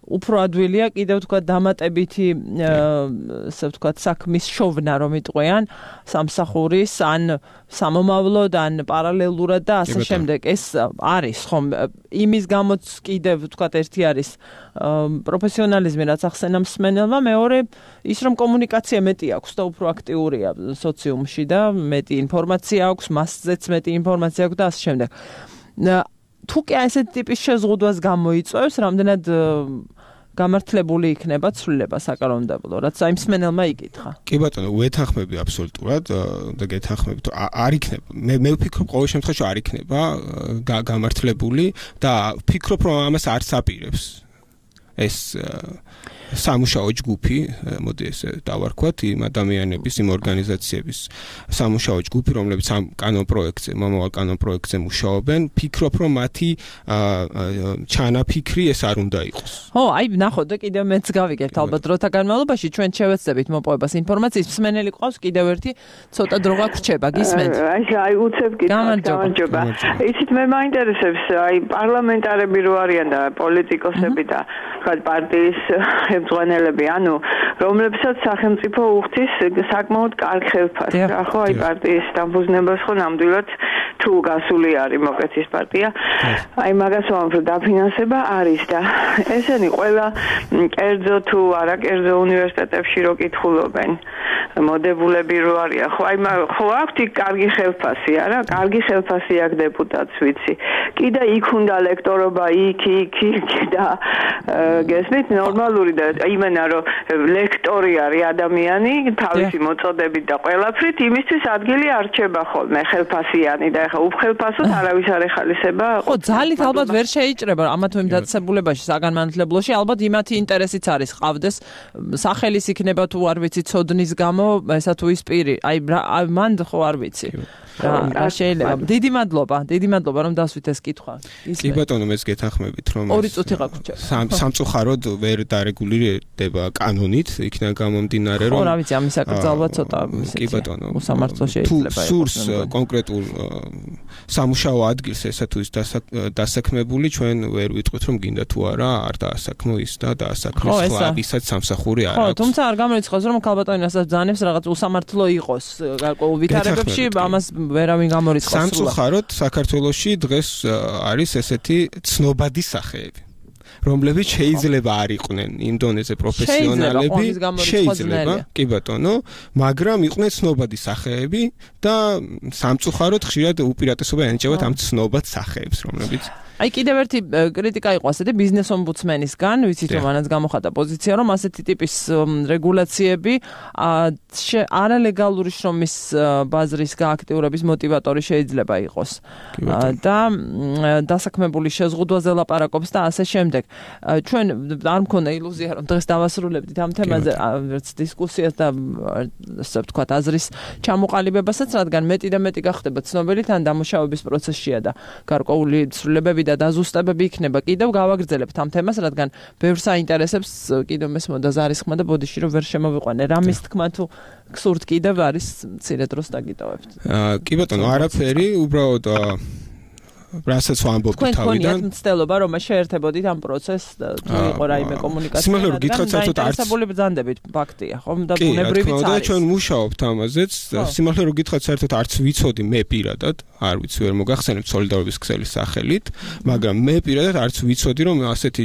უფრო ადვილია კიდევ თქვა დამატებითი ასე ვთქვათ საქმის შოვნა რომ იტყვიან სამსახურის ან სამომავლოდ ან პარალელურად და ასე შემდეგ. ეს არის ხომ იმის გამოც კიდევ ვთქვათ ერთი არის პროფესიონალიზმი რაც ახსენა მსმენელმა, მეორე ის რომ კომუნიკაცია მეტი აქვს და უფრო აქტიურია სოციუმში და მეტი ინფორმაცია აქვს, მასზეც მეტი ინფორმაცია აქვს და ასე შემდეგ. თუ კი ასეთი ტიპის შეზღუდვას გამოიწვევს, რამდენად გამართლებული იქნება ცვლილება საკანონმდებლო, რაც აი მსმენელმა იკითხა. კი ბატონო, ვეთანხმები აბსოლუტურად და გეთანხმები, თუ არ იქნება. მე ვფიქრობ ყოველ შემთხვევაში არ იქნება გამართლებული და ვფიქრობ, რომ ამას არც აპირებს ეს სამუშაო ჯგუფი, მოდი ესე დავარქვათ, იმ ადამიანების, იმ ორგანიზაციების სამუშაო ჯგუფი, რომლებიც ამ კანონპროექტზე, მომავალ კანონპროექტზე მუშაობენ, ფიქრობ, რომ მათი ჩანაფიქრი ეს არ უნდა იყოს. ხო, აი ნახოთ და კიდევ მეც გავიგებთ ალბათ დროთა განმავლობაში ჩვენ შევეცდებით მოპოვებას ინფორმაციის. მსმენელი ყავს კიდევ ერთი ცოტა დრო გაგვრჩება, გისმენთ? აი უცებ გამარჯობა. იცით მე მაინტერესებს აი პარლამენტარები რო არიან და პოლიტიკოსები და თქვა პარტიის მწვანელები, ანუ რომლებსაც სახელმწიფო უხდის საკმაოდ კარგ ხელფასს. რა ხო აი პარტიის დამფუძნებას ხო ნამდვილად თუ გასული არის მოკეთ ის პარტია. აი მაგას ვამბობ, რომ დაფინანსება არის და ესენი ყველა კერძო თუ არა კერძო უნივერსიტეტებში რო კითხულობენ. მოდებულები რო არიან. ხო აი ხო აქვთ კარგი ხელფასი, არა? კარგი ხელფასი აქვს დეპუტატს ვიცი. კიდე იქ უნდა ლექტორობა იქ და გესმით ნორმალური და იმენა რომ ლექტორი არის ადამიანი თავისი მოწოდებით და ყველაფრით იმისთვის ადგილი არჩება ხოლმე ხელფასიანი და ეხა უფხელფასოდ არავის არ ეხალისება. ხო ძალით ალბათ ვერ შეიჭრება ამა თუ იმ დაწესებულებაში საგანმანათლებლოში ალბათ იმათი ინტერესიც არის ყავდეს სახელის იქნება თუ არ ვიცი ცოდნის გამო ესა თუ ის პირი აი მან ხო არ ვიცი რა შეიძლება დიდი მადლობა რომ დასვით ეს კითხვა. კი ბატონო მეც გეთანხმებით რომ 2 წუთი გაგვჭირდა. სამწუხაროდ ვერ დარეგულირდება კანონით, იქიდან გამომდინარე რომ ხო რა ვიცი ამის აკრძალვა ცოტა კი ბატონო უსამართლო შეიძლება იყოს. სურს კონკრეტულ სამუშაო ადგილს ესა თუ ის დასაქმებული ჩვენ ვერ ვიტყვით რომ გინდა თუ არა არ დაასაქმო ის და დაასაქმოს სხვა ვისაც სამსახური არ აქვს. ხო თუმცა არ გამორიცხავს რომ ქალბატონი რასაც ბრძანებს რაღაც უსამართლო იყოს გარკვეულ ვითარებებში ამას ვერავინ გამორიცხავს. სამწუხაროდ საქართველოში დღეს არის ესეთი ცნობადი სახეები. რომლებიც შეიძლება არ იყვნენ იმ დონეზე პროფესიონალები, შეიძლება, კი ბატონო, მაგრამ იყვნენ ცნობადი სახეები და სამწუხაროდ ხშირად უპირატესობა ენიჭებათ ამ ცნობად სახეებს, რომლებიც აი კიდევ ერთი კრიტიკა იყო ასეთი ბიზნეს ომბუდსმენისგან, ვიცით რომ მანაც გამოხატა პოზიცია, რომ ასეთი ტიპის რეგულაციები არალეგალური შრომის ბაზრის გააქტიურების მოტივატორი შეიძლება იყოს. და დასაქმებული შეზღუდვაზე ლაპარაკობს და ასე შემდეგ. ჩვენ არ მქონდა ილუზია რომ დღეს დავასრულებდით ამ თემაზე ერთ დისკუსიას და ასე ვთქვათ აზრის ჩამოყალიბებასაც, რადგან მეტი და მეტი გახდება ცნობილი თან დამუშავების პროცესშია და გარკვეული ცვლილებები და დაზუსტებები იქნება. კიდევ გავაგრძელებთ ამ თემას, რადგან ბევრს აინტერესებს კიდევ მესმოდა ზარისხმა და ბოდიში რომ ვერ შემოვიყვანე. რამის თქმა თუ გსურთ კიდევ არის მცირე დროს დაგიტოვებთ. კი ბატონო, არაფერი, უბრალოდ რასაც ვამბობთ თავიდან. თქვენ გქონიათ მცდელობა რომ შეერთებოდით ამ პროცესს თუ იყო რაიმე კომუნიკაცია. სიმართლე რომ გითხრათ საერთოდ არც ინტერესებული ბრძანდებით ფაქტია, ხომ და ბუნებრივიც არის. და ჩვენ მუშაობთ ამაზეც. სიმართლე რომ გითხრათ საერთოდ არც ვიცოდი მე პირადად, არ ვიცი ვერ მოგახსენებ სოლიდარობის ქსელის სახელით, მაგრამ მე პირადად არც ვიცოდი რომ ასეთი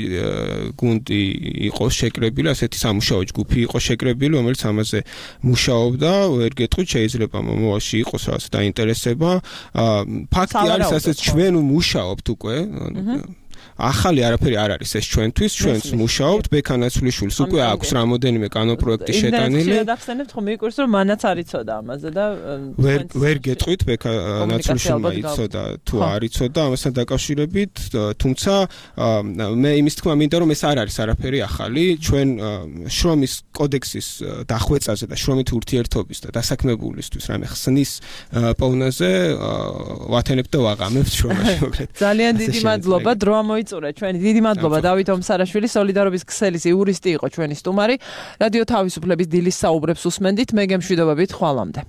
გუნდი იყოს შეკრებილი, ასეთი სამუშაო ჯგუფი იყოს შეკრებილი, რომელიც ამაზე მუშაობდა, ვერ გეტყვით შეიძლება მომავალში იყოს რაღაც დაინტერესება. ფაქტი არის ასეც ჩვენ მუშაობთ უკვე ახალი არაფერი არ არის ეს ჩვენთვის, ჩვენც მუშაობთ, ბექანაცვლიშვილს უკვე აქვს რამოდენიმე კანონპროექტი შეტანილი. შედახსენებთ ხომ მიყურს რომ მანაც არ იცოდა ამაზე და ვერ გეტყვით ბექანაცვლიშვილმა იცოდა თუ არ იცოდა ამასთან დაკავშირებით, თუმცა მე იმის თქმა მინდა რომ ეს არ არის არაფერი ახალი, ჩვენ შრომის კოდექსის დახვეწაზე და შრომით ურთიერთობის და დასაქმებულისთვის რამე ხსნის პოვნაზე ვათენებთ და ვაღამებთ შრომაში მოკლედ. ძალიან დიდი მადლობა დრო მოიწურა ჩვენი. დიდი მადლობა დავით ომსარაშვილი, სოლიდარობის ქსელის იურისტი იყო ჩვენი სტუმარი. რადიო თავისუფლების დილის საუბრებს უსმენდით, მე გემშვიდობებით, ხვალამდე.